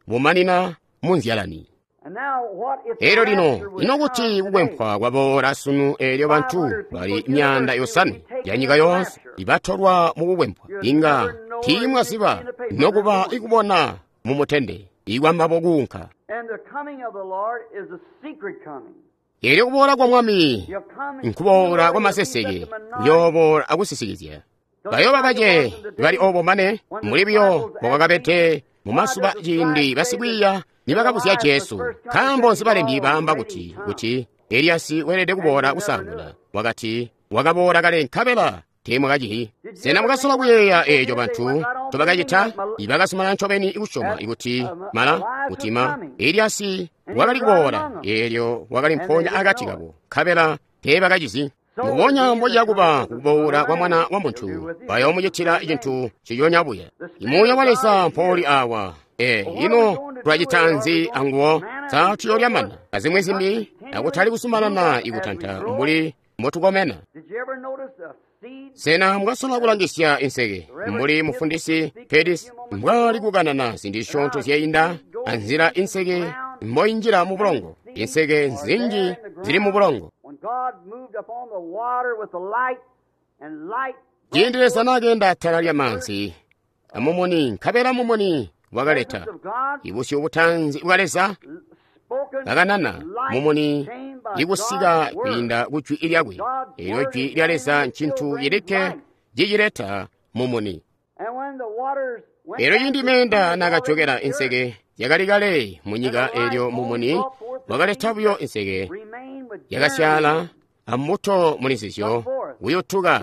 bumanina munzyalani. Eelyo lino, ino kuti kukwempwa kwaboola sunu eelyo bantu bali 500 ya nyika yoonse ibatolwa mu kukwempwa, inga tiimwaziba nokuba ikubona mu mutende ikwambabo kuunka. Eelyo kuboola kwa Mwami nkuboola kwa maseseke, kuyooboola akusisikizya. Bayooba bace bali obo mane mbuli biyo bwakwakabede mu mazuba ciindi basikwiiya nibakabuzya Jesu, nkaambo nzi balembi baamba kuti kuti Eliyasi weelede kuboola kusaanguna? Wakati, wakaboola kale nkabela teemwakacihi. Sena mwakasola kuyeeya eeco bantu ncobakacita? Ibakazumanana ncobeni kusyoma kuti mala kuti ma Eliyasi wakali kuboola, eelyo wakali mpoonya akati kabo, nkabela teebakacizi. Mbubonya mbociya kuba kuboola kwa Mwana wa Muntu, bayoomucitila cintu nciconya buya. Imuuya wa Leza mpouli awa. Ino tulacita nzi anguwo? Sa tuyoolya mana azimwi zimbi, akutali kuzumanana ikutanta mbuli mbotukomena? Sena mwasola kulangisya inseke mbuli mufundisi Pedis mbwali kukanana zindi zisyoonto zyainda anzila inseke mboinjila mu bulongo? Inseke nzinji zili mu bulongo. Ciindi Leza nakeenda atala lyamaanzi amumuni, nkabela mumuni wakaleta ibusyu butaanzi bwa Leza kakanana mumuni ikusika kwiinda ku jwi lyakwe. Eelyo jwi lya Leza ncintu cilikke cicileta mumuni. Eelyo ciindi meenda nakajokela inseke yakali kale munyika, eelyo mumuni wakaleta buyo inseke yakasyaala ambuto muli nzizyo kuyutuka.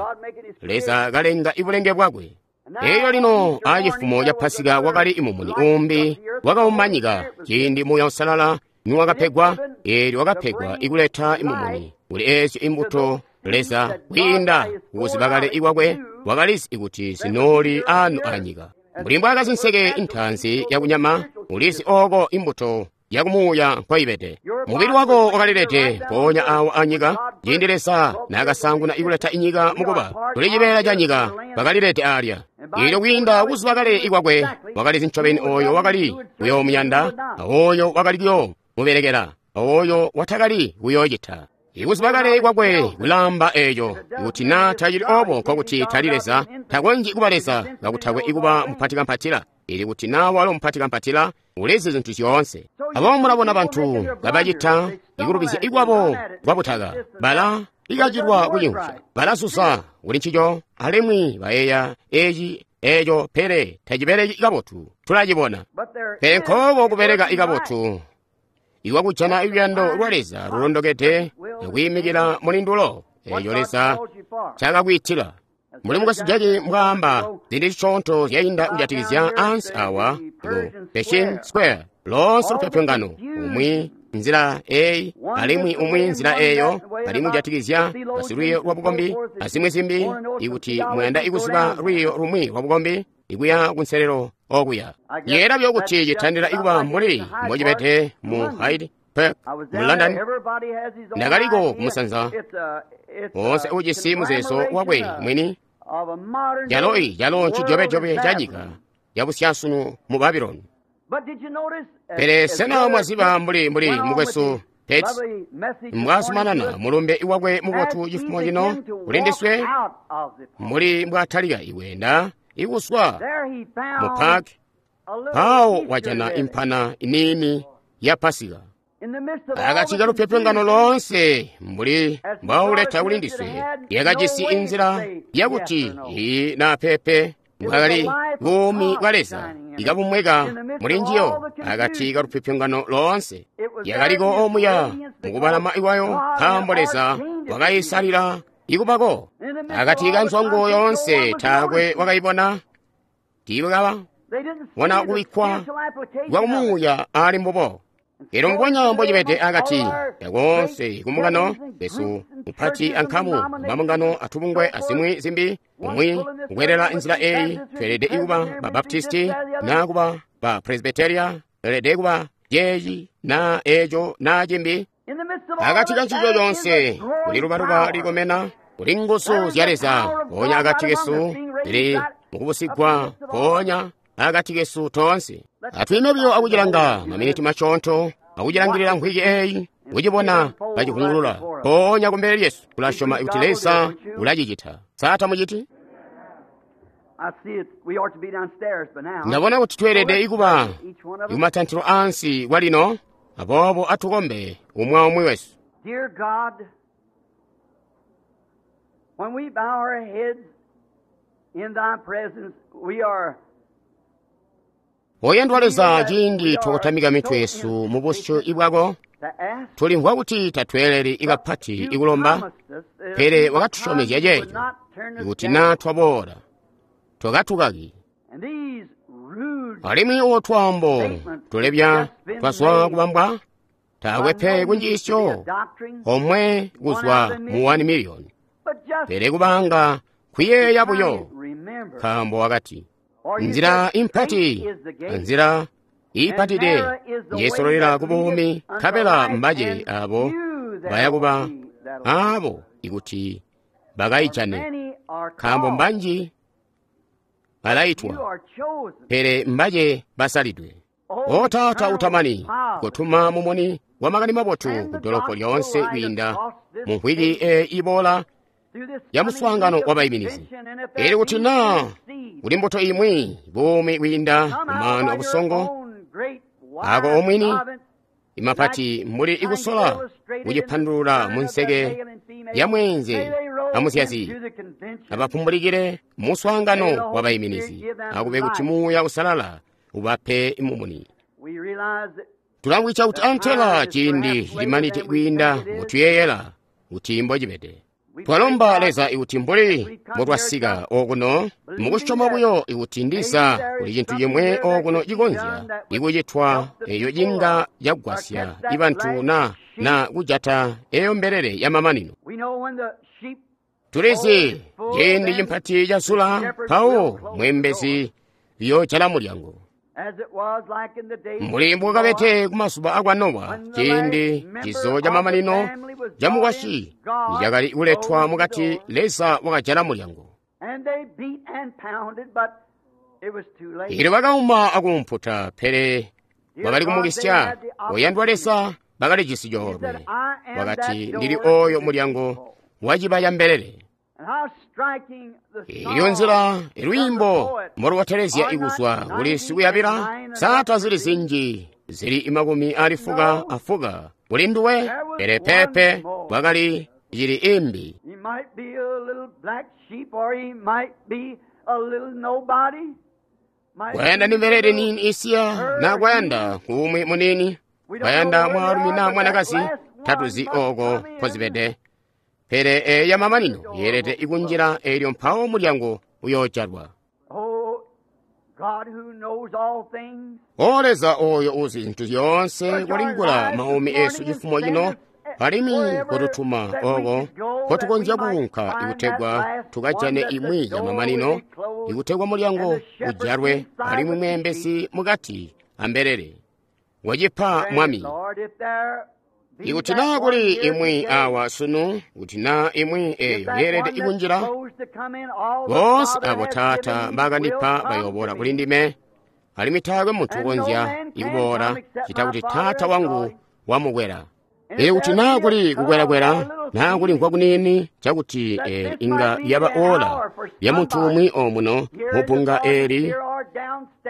Leza kalenga ibulenge bwakwe. Eelyo lino acifumo ca Pasika wakali mumuni umbi wakauma nyika ciindi Muuya Uusalala niwakapegwa. Eelyo wakapegwa ikuleta mumuni kuli eezyo imbuto Leza kwiinda kukuziba kale ikwakwe wakalizi kuti zinooli anu anyika. Mbuli mbwaakazi nseke intaanzi yakunyama, ulizi ooko imbuto yakumuuya nkoibede. Mubili wako wakalilede mpoonya awo anyika ciindi Leza naakasaanguna ikuleta inyika mukuba tuli cibeela ca nyika, bakalilede alya. Eelyo kwiinda kuziba kale ikwakwe wakalizi ncobeni ooyo wakali kuyoomuyanda awoyo wakali kuyoomubelekela awoyo watakali kuyoocita. Ikuziba kale kwakwe kulaamba eeco kuti naa tacili oobo nkokuti tali Leza, takonzyi kuba Leza kakutakwe ikuba mupatikampatila. Ili kuti naa walo mupatikampatila ulizi zintu zyoonse. Aboobo mulabona bantu kabacita ikulubizya ikwabo kwabutaka, bala ikacilwa kucimvwa, balasusa kuli ncico alimwi bayeeya eci eeco, pele tacibeleki kabotu. Tulacibona. Pele nkoobo kubeleka ikabotu iwakujana luyando lwa Leza lulondokede akwiimikila mulindulo eeco Leza ncaakakwiitila. Mbuli mukwesu Jaki mbwaamba zindi zisyoonto zyainda kujatikizya ansi awa ku Pershing Square, loonse lupyopyongano, umwi nzila eyi alimwi umwi nzila eyo, alimwi kujatikizya basilwiiyo lwa bukombi azimwi zimbi. Ikuti muyanda ikuziba lwiiyo lumwi lwa bukombi, ikuya kunselelo okuya. Yeera buyo kuti citandila ikuba mbuli mbocibede mu Hyde Park mu London. Ndakaliko kumusanza woonse ujisi muzeezo wakwe mwini, calo calo ncijobejobe ca nyika yabusyaasunu mu Babylon. Pele sena mwaziba mbuli mukwesu Pet mbwazumanana mulumbe wakwe mubotu cifumo cino kuli ndiswe, mbuli mbwatalika ikwenda ikuswa mu park, mpawo wajana impana iniini ya Pasika. Akati kalupyopyongano loonse mbuli mbwauleta kuli ndiswe, yakajisi inzila yakuti iyi naa pepe bwakali buumi bwa Leza ikabumweka muli njiyo akati kalupyopyongano loonse. Yakaliko omuya mukubalama ikwayo, nkaambo Leza wakayisalila ikubako. Akati ka nzwango yoonse taakwe wakayibona, tiibakaba bona kubikkwa kwa kumuuya ali mbubo. Eelyo mbubonya mbocibede akati kakoonse kumbungano besu mupati ankamu mabungano atubungwe azimwi zimbi, umwi kukwelela nzila eyi, tweelede kuba ba Baptisti naa kuba ba Presbyteria, tweelede kuba ceeci naa eeco naa cimbi. Akati ka ncico coonse kuli lubaluba likomena, kuli nguzu zya Leza mpoonya akati kesu zili mukubusigwa mpoonya akati kesu toonse. Atwiime buyo akucilanga maminiti masyoonto, akucilangilila nkhwiki eyi, kucibona kacivungulula mpoonya kumbele lyesu. Tulasyoma kuti Leza ulacicita. Sa tamuciti? Ndabona kuti tweelede ikuba ikumatantilo ansi kwalino, aboobo atukombe umwi aumwi wesu. Dear God, when we bow our heads in thy presence, we are Oyandwa Leza, ciindi twakotamika mitwe yesu mu busyu bwako, tulimvwa kuti tatweeleli kapati ikulomba, pele wakatusyomezya ceeco ikuti naa twaboola twakatukaki. Alimwi uwo twaambo tulebya twazwa kubambwa, taakwe pe kunjiisyo omwe kuzwa mu 1 miliyoni, pele kubanga kuyeeya buyo, nkaambo wakati nzila impati, nzila iipatide njesololela ku buumi, nkabela mbace abo bayakuba abo ikuti bakayijane, nkaambo mbanji balaitwa, pele mbace basalidwe. O Taata utamani, kotuma mumuni wa makani mabotu ku dolopo lyoonse kwiinda mu mvwiki iboola ya muswaangano wa baiminizi. Elyo kuti naa kuli mbuto imwi buumi kwiinda kumaanu abusongo ako omwini imapati mbuli ikusola kucipandulula mu nseke ya mweenze amuzyazi, abapumbulikile muswaangano wa baiminizi, akube kuti Muuya Usalala ubape mumuni. Tulamvwica kuti antela ciindi cimanite kwiinda mutuyeyela kuti mbocibede. Twalomba Leza ikuti mbuli mbotwasika okuno mukusyoma buyo ikuti ndiza kuli cintu cimwe okuno cikonzya ikucitwa eyo cinga cagwasya ibantu na kujata eyo mbelele ya mamanino. Tulizi ciindi cimpati cazula, mpawo mwembezi yoojala mulyango. Mbuli mbukabete kumazuba akwa Nowa, ciindi cizo ca mamanino ca mukwasyi nicakali kuletwa mukati, Leza wakajala mulyango. Elyo bakauma akumputa, pele wakali kumukisya. Oyandwa Leza, bakalijisi coolwe. Wakati, ndili oyo mulyango wa cibaya mbelele. Iyo nzila lwiimbo mbolubotelezya ikuzwa kuli sikuyabila, sata zili zinji zili 80 kuli nduwe, pele pepe kwakali cili imbi. Kwayanda ndi mbelele nini isiya na kwayanda kumwi munini, kwayanda mwaalumi na mwanakazi, tatuzi oko kozibede. Pele eya mamanino yeelede ikunjila elyo mpawo mulyango uyoojalwa. O Leza oyo uzi zintu zyoonse, kolingula maumi esu cifumo cino, alimwi kotutuma oko kotukonzya kuunka ikutegwa tukajane imwi ya mamanino, ikutegwa mulyango ujalwe alimwi mweembezi mukati ambelele. Wacipa Mwami. Ikuti naa kuli imwi awa sunu, kuti naa imwi eyo yeelede ikunjila, boonse abo Taata mbakandipa bayoboola kuli ndime, alimwi taakwe muntu ukonzya ikuboola cita kuti Taata wangu wamukwela. Elyo kuti naa kuli kukwelakwela, naa kulimvwa kuniini cakuti inga yaba ola lya muntu umwi omuno mubbunga eli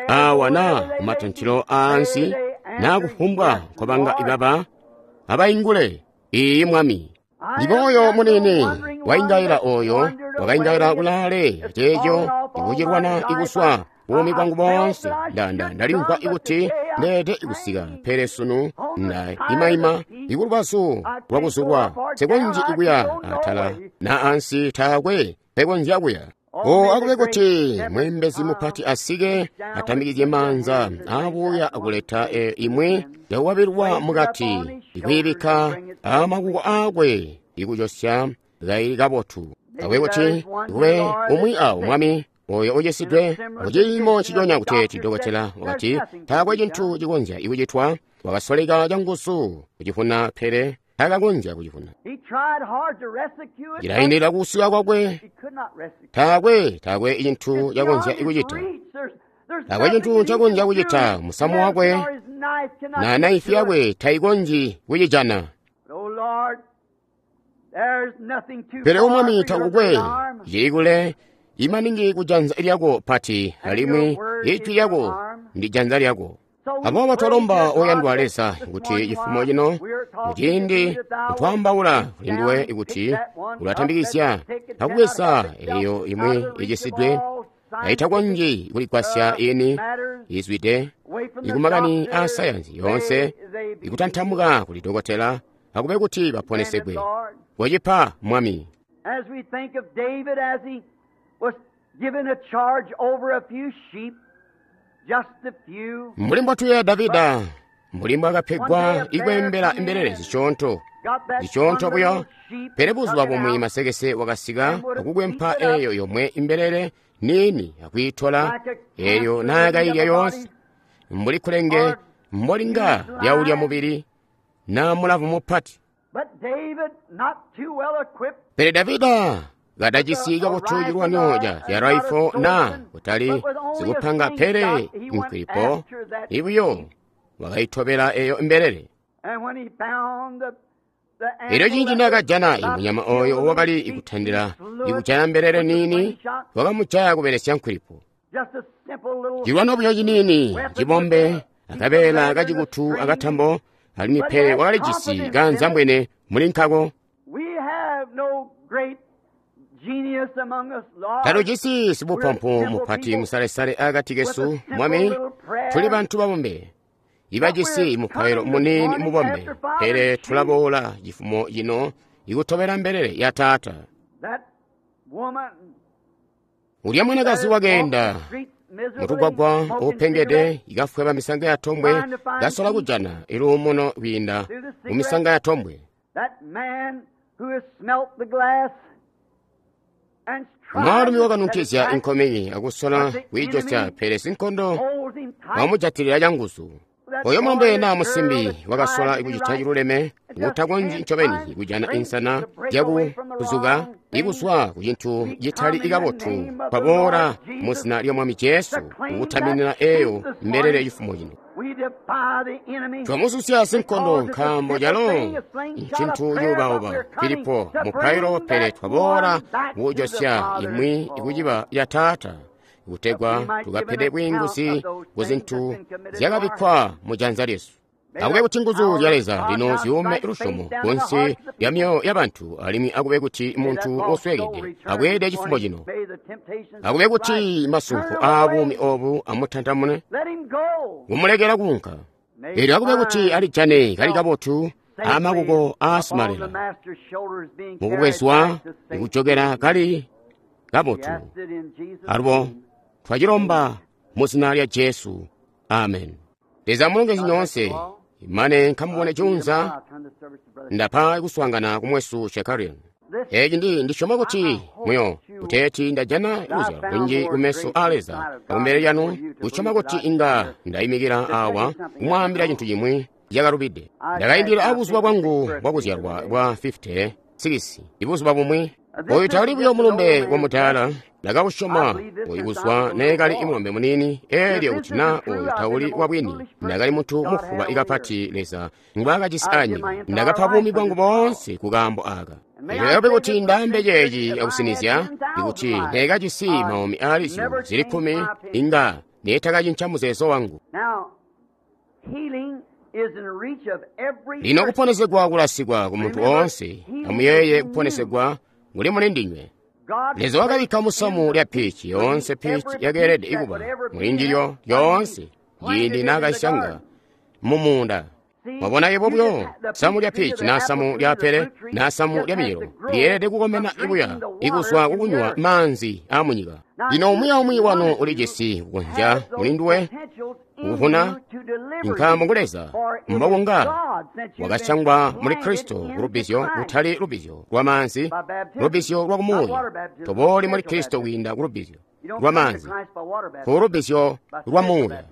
awa naa kumatantilo aansi, naa kufumbwa nkobanga ibaba, abaingule, iyi Mwami. Ndiboyo munene waingaila oyo wakaingaila kulaale ceeco ikucilwana ikuswa buumi bwangu boonse. Ndalimvwa ikuti ndeede ikusika, pele sunu nda imaima ikulubazu lwakuzulwa, nsikonzyi ikuya atala na ansi, taakwe pekonzya kuya. O akube kuti mwembezi mupati asike atambikizye maanza abuya akuleta imwi yakuwabilwa mukati, ikuyibikka amakuko akwe ikucosya kaili kabotu. Akube kuti kube umwi awo Mwami oyo ucisidwe muciimo ciconya kuteeti dokotela wakati taakwe cintu cikonzya ikucitwa, wakasoleka canguzu kucifuna pele takakonzya kucifuna. Cilaindilila kusika kwakwe, taakwe cintu cakonzya ikucita. Taakwe cintu ncakonzya kucita, musamu wakwe na naifi yakwe tayikonzyi kucijana. Pele o Mwami takukwe cili kule imaningi kujanza lyako pati, alimwi ijwi lyako ndi janza lyako. Aboobo twalomba oyandwa Leza kuti cifumo cino muciindi kutwaambaula kuli nduwe ikuti ulatambikizya akubweza eyo imwi icisidwe Kaitakonzyi kuligwasya ini izwide ikumakani a sayansi yoonse ikutantamuka kuli dokotela akube kuti baponesegwe. Wacipa Mwami. As we think of David as he was given a charge over a few sheep, just a few. Mbuli mbwatuyeeya Davida, mbuli mbwakapegwa ikweembela imbelele zisyoonto, zisyoonto buyo, pele buzuba bumwi masekese wakasika akukwempa eyo yomwe imbelele niini akwiitola eyo naakayilya yoonse, mbuli kulenge mbolinga lyaulya mubili na mulavu mupati. Pele Davida kadajisi kabotu cilwanyo ca raifo na kutali zikupanga pele nkwilipo ibuyo wakayitobela eyo imbelele. Elyo ciindi naakajana imunyama oyo wakali ikutandila ikujaya mbelele niini, wakamujaya kubelesya nkwilipo. Cilwano buyo ciniini cibombe akabeela kacikutu akatambo, alimwi pele wakalijisi kaanzambwene muli nkako. Talujisi sibupampu mupati musalesale akati kesu, Mwami, tuli bantu babombe ibajisi mupailo muniini mubombe, pele tulaboola cifumo cino ikutobela mbelele ya Taata. Ulya mwanakazi wakeenda mutugwagwa upengede ikafweba misanga ya tombwe, kasola kujana iluumuno kwiinda mu misanga ya tombwe. Mwaalumi wakanunkizya inkomeki akusola kwiijosya, pele sinkondo wamujatilila canguzu. Oyo mulombe naa musimbi wakasola kucita ciluleme, utakonzyi ncobeni kujana insana zyakuzuka ikuzwa ku cintu citali kabotu, kwaboola mu zina lya Mwami Jesu kukutaminina eyo mbelele cifumo cino. Twamususya sinkondo nkaambo calo ncintu cuubauba Filipo mupailo, pele twaboola kujosya imwi ikuciba ya Taata, kutegwa tukapede bwiinguzi ku zintu zyakabikkwa mu janza lyesu. Akube kuti nguzu zya Leza lino ziyume lusyomo kunsi lya myoyo ya bantu, alimwi akube kuti muntu osweekede abweede cifumo cino. Akube kuti masunko aabuumi obu amutantamune, kumulekela kuunka. Elyo akube kuti alijane kali kabotu amakuko aasimalela mukubwezwa ikujokera kali kabotu. Alubo twacilomba mu zina lya Jesu, amen. Leza mulongezi nyoonse, imane nkamubone junza ndapa kuswaangana kumwesu Shekarian. Eci ndisyoma kuti muyo kuteeti ndajana luzyalo lunji kumeso a Leza akumbele lyanu, kusyoma kuti inga ndayimikila awa kumwaambila cintu cimwi cakalubide. Ndakaindila abuzuba bwangu bwakuzyalwa bwa 56 ibuzuba bumwi. Oyu tali buyo mulumbe wa mudaala, ndakausyoma oyu kuzwa neekali imulombe muniini, elyo kuti na oyu tauli wabwini, ndakali muntu mufuba ikapati Leza ngwaakajisi anyika. Ndakapa buumi bwangu boonse ku kaambo aka. Elyo kuti ndaambe ceeci akusinizya, ikuti neekajisi maumi aali zyuulu zili 10, inga neetakacinca muzeezo wangu. Lino kuponesegwa kulasikwa ku muntu oonse, amuyeeye kuponesegwa kuli muli ndinywe. Leza wakabikka musamu lya pichi, yoonse pichi yakeelede ikuba mulindilyo lyoonse ciindi naakasyanga mumuunda. Mwabona yebo buyo samu lya pichi na samu lya pele na samu lya miyelo lyeelede kukomena ibuya ikuzwa kukunywa maanzi aamunyika. Lino umwi aumwi wanu ulijisi kukonzya mulinduwe kuvuna, nkaambo ngu Leza mbokunga wakasyangwa muli Kristo kulubbizyo kutali lubbizyo lwa maanzi, lubbizyo lwa kumuuya. Tobooli muli Kristo kwiinda kulubbizyo lwa maanzi, kulubbizyo lwa muuya.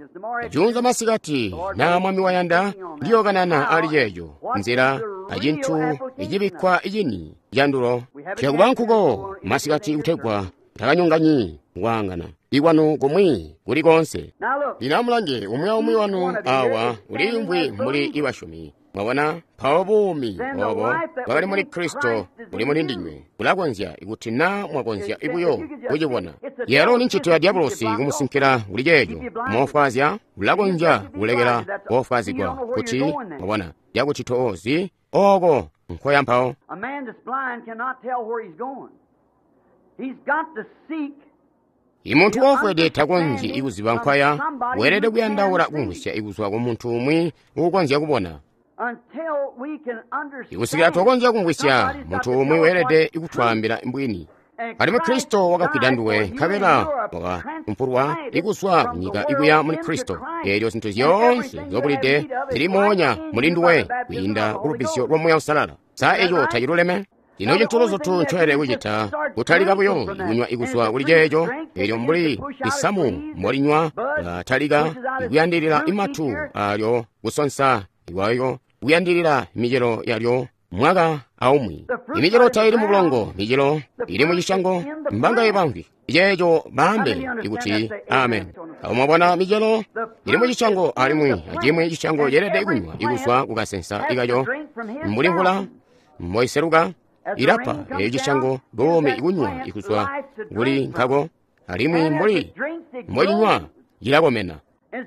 Junza masikati na Mwami wayanda ndiyokanana ali ceeco nzila acintu icibikkwa icini candulo. Tuyakuba nkuko masikati kutegwa takanyonganyi kwaangana ikwanu kumwi kuli konse. Lino amulange umwi aumwi wanu awa uliimvwi mbuli ibasyomi. Mwabona, mpawo buumi obo bwakali muli Kristo buli muli ndinywe bulakonzya ikuti na mwakonzya ibuyo kucibona. Yalo ni ncito ya diabolosi kumusinkila kuli ceeco moofwaazya, bulakonzya kulekela koofwaazigwa kuti mwabona yakuti toozi oko nkoya mpawo. Imuntu woofwede takonzyi kuziba nkwaya, weelede kuyandaula kumvwisya ikuzwa ku muntu umwi uukonzya kubona. Ikusikila twakonzya kumvwisya, muntu umwi weelede kutwaambila mbwini. Alimwi Kristo wakafwida nduwe, nkabela wakapumpulwa ikuzwa kunyika ikuya muli Kristo. Eelyo zintu zyoonse nzobulide zili moonya muli nduwe kwiinda ku lubbizyo lwa Muuya Uusalala. Sa eco taciluleme? Lino cintu luzutu ncoelede kucita, kutalika buyo ikunywa ikuzwa kuli ceeco, eelyo mbuli isamu mbolinywa latalika ikuyandilila imatu alyo kusonsa ikwayo kuyandilila micelo yalyo mwaka aumwi. Imicelo taili mu bulongo, micelo ili mu cisyango, mbangaye bamwi ceeco baambe ikuti amen. Awo mwabona micelo ili mu cisyango alimwi acimwi cisyango ceelede kunywa ikuzwa kukasensa ikaco mbuli mvula mboiseluka ilapa eeyo cisyango buumi ikunywa ikuzwa kuli nkako, alimwi mbuli mbocinywa cilakomena.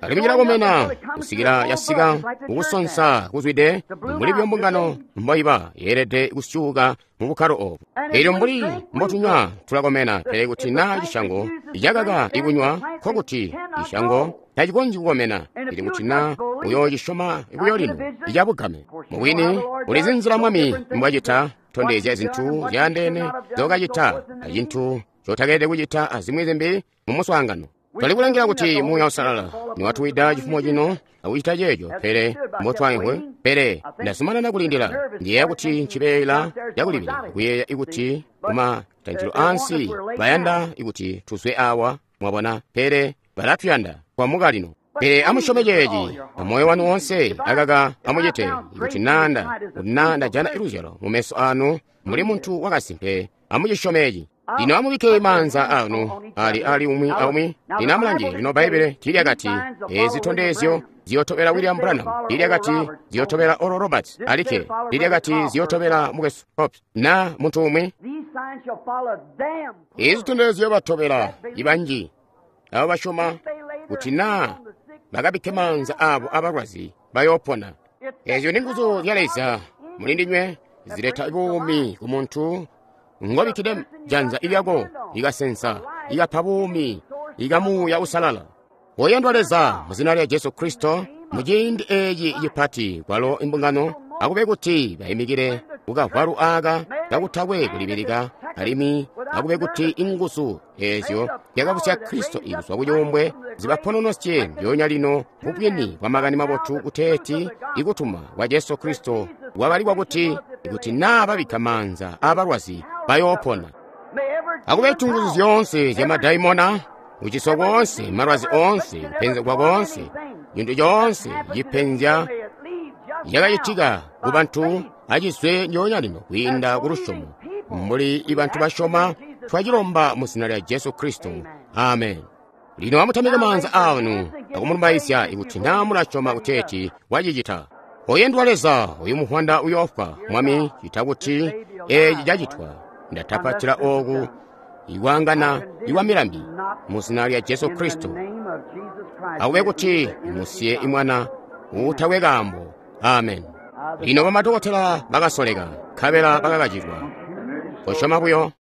Alimwi cilakomena kusikila yasika kukusonsa kuzwide mbuli byo mbungano mboiba yeelede kusyuuka mu bukkalo obu. Eelyo mbuli mbotunywa tulakomena, pele kuti naa cisyango cakaka ikunywa, nkokuti cisyango tacikonzyi kukomena. Pele kuti naa uyoocisyoma buyo lino icabugame. Mubwini ulizi nzila Mwami mbwacita, tondezya zintu zyaandeene zokacita acintu cotakeelede kucita azimwi zimbi mu muswaangano. Twali kulangila kuti Muuya Uusalala niwatuwida cifumo cino akucita ceeco, pele mbotwaimvwe, pele ndazumanana kulindila. Ndiyeeya kuti ncibeela cakulibila kuyeeya ikuti kumatanjilo ansi bayanda ikuti tuzwe awa, mwabona, pele balatuyanda kwamuka lino. Pele amusyome ceeci amoyo wanu woonse, akaka amucite ikuti nanda kuti naa ndajana iluzyalo mumeso anu muli muntu wakasimpe, amucisyome eci. Lino amubikke maanza anu ali umwi aumwi. Lino amulange, lino Bbaibbele tiilyakati ezi zitondezyo ziyotobela William Branham, tiilyakati ziyotobela Oral Roberts alikke, tiilyakati ziyotobela mukwesu Cox na muntu umwi. Ezi zitondezyo batobela ibanji abo basyoma kuti naa bakabikke maanza abo abalwazi bayoopona. Ezyo ni nguzu zya Leza muli ndinywe zileta buumi ku muntu ngobikkide janza lyako likasensa likapa buumi lika Muuya Uusalala. Oyandwa Leza, mu zina lya Jesu Kristo, muciindi eeci cipati kwalo imbungano akube kuti bayimikile kukavwalu aaka kakutakwe kulibilika, alimwi akube kuti inguzu eezyo zyakabusya Kristo ikuzwa kucuumbwe zibapononosye ndyoonya lino bubwini bwa makani mabotu kuteeti ikutuma kwa Jesu Kristo kwabalikwa kuti ikuti naa babikka maanza aabalwazi bayoopona. Akube nguzu zyoonse zya madaimona, kuciswa koonse, malwazi oonse, kupenzegwa koonse, cintu coonse cipenzya cakacitika ku bantu acizwe ndyoonya lino kwiinda ku lusyomo. Mbuli ibantu basyoma, twacilomba mu zina lya Jesu Kristo. Amen. Lino amutamike maanza anu akumulumbaizya ikuti naa mulasyoma kuteeti wacicita. Oyendwa Leza, uyu muhwanda uyoofwa, Mwami, cita kuti eeci cacitwa. Ndatapatila ooku ikwangana ikwa milambi mu zina lya Jesu Kristo. Akube kuti musiye imwana uutakwe kaambo. Amen. Lino bamadokotela bakasoleka, nkabela bakakacilwa. Kosyoma buyo.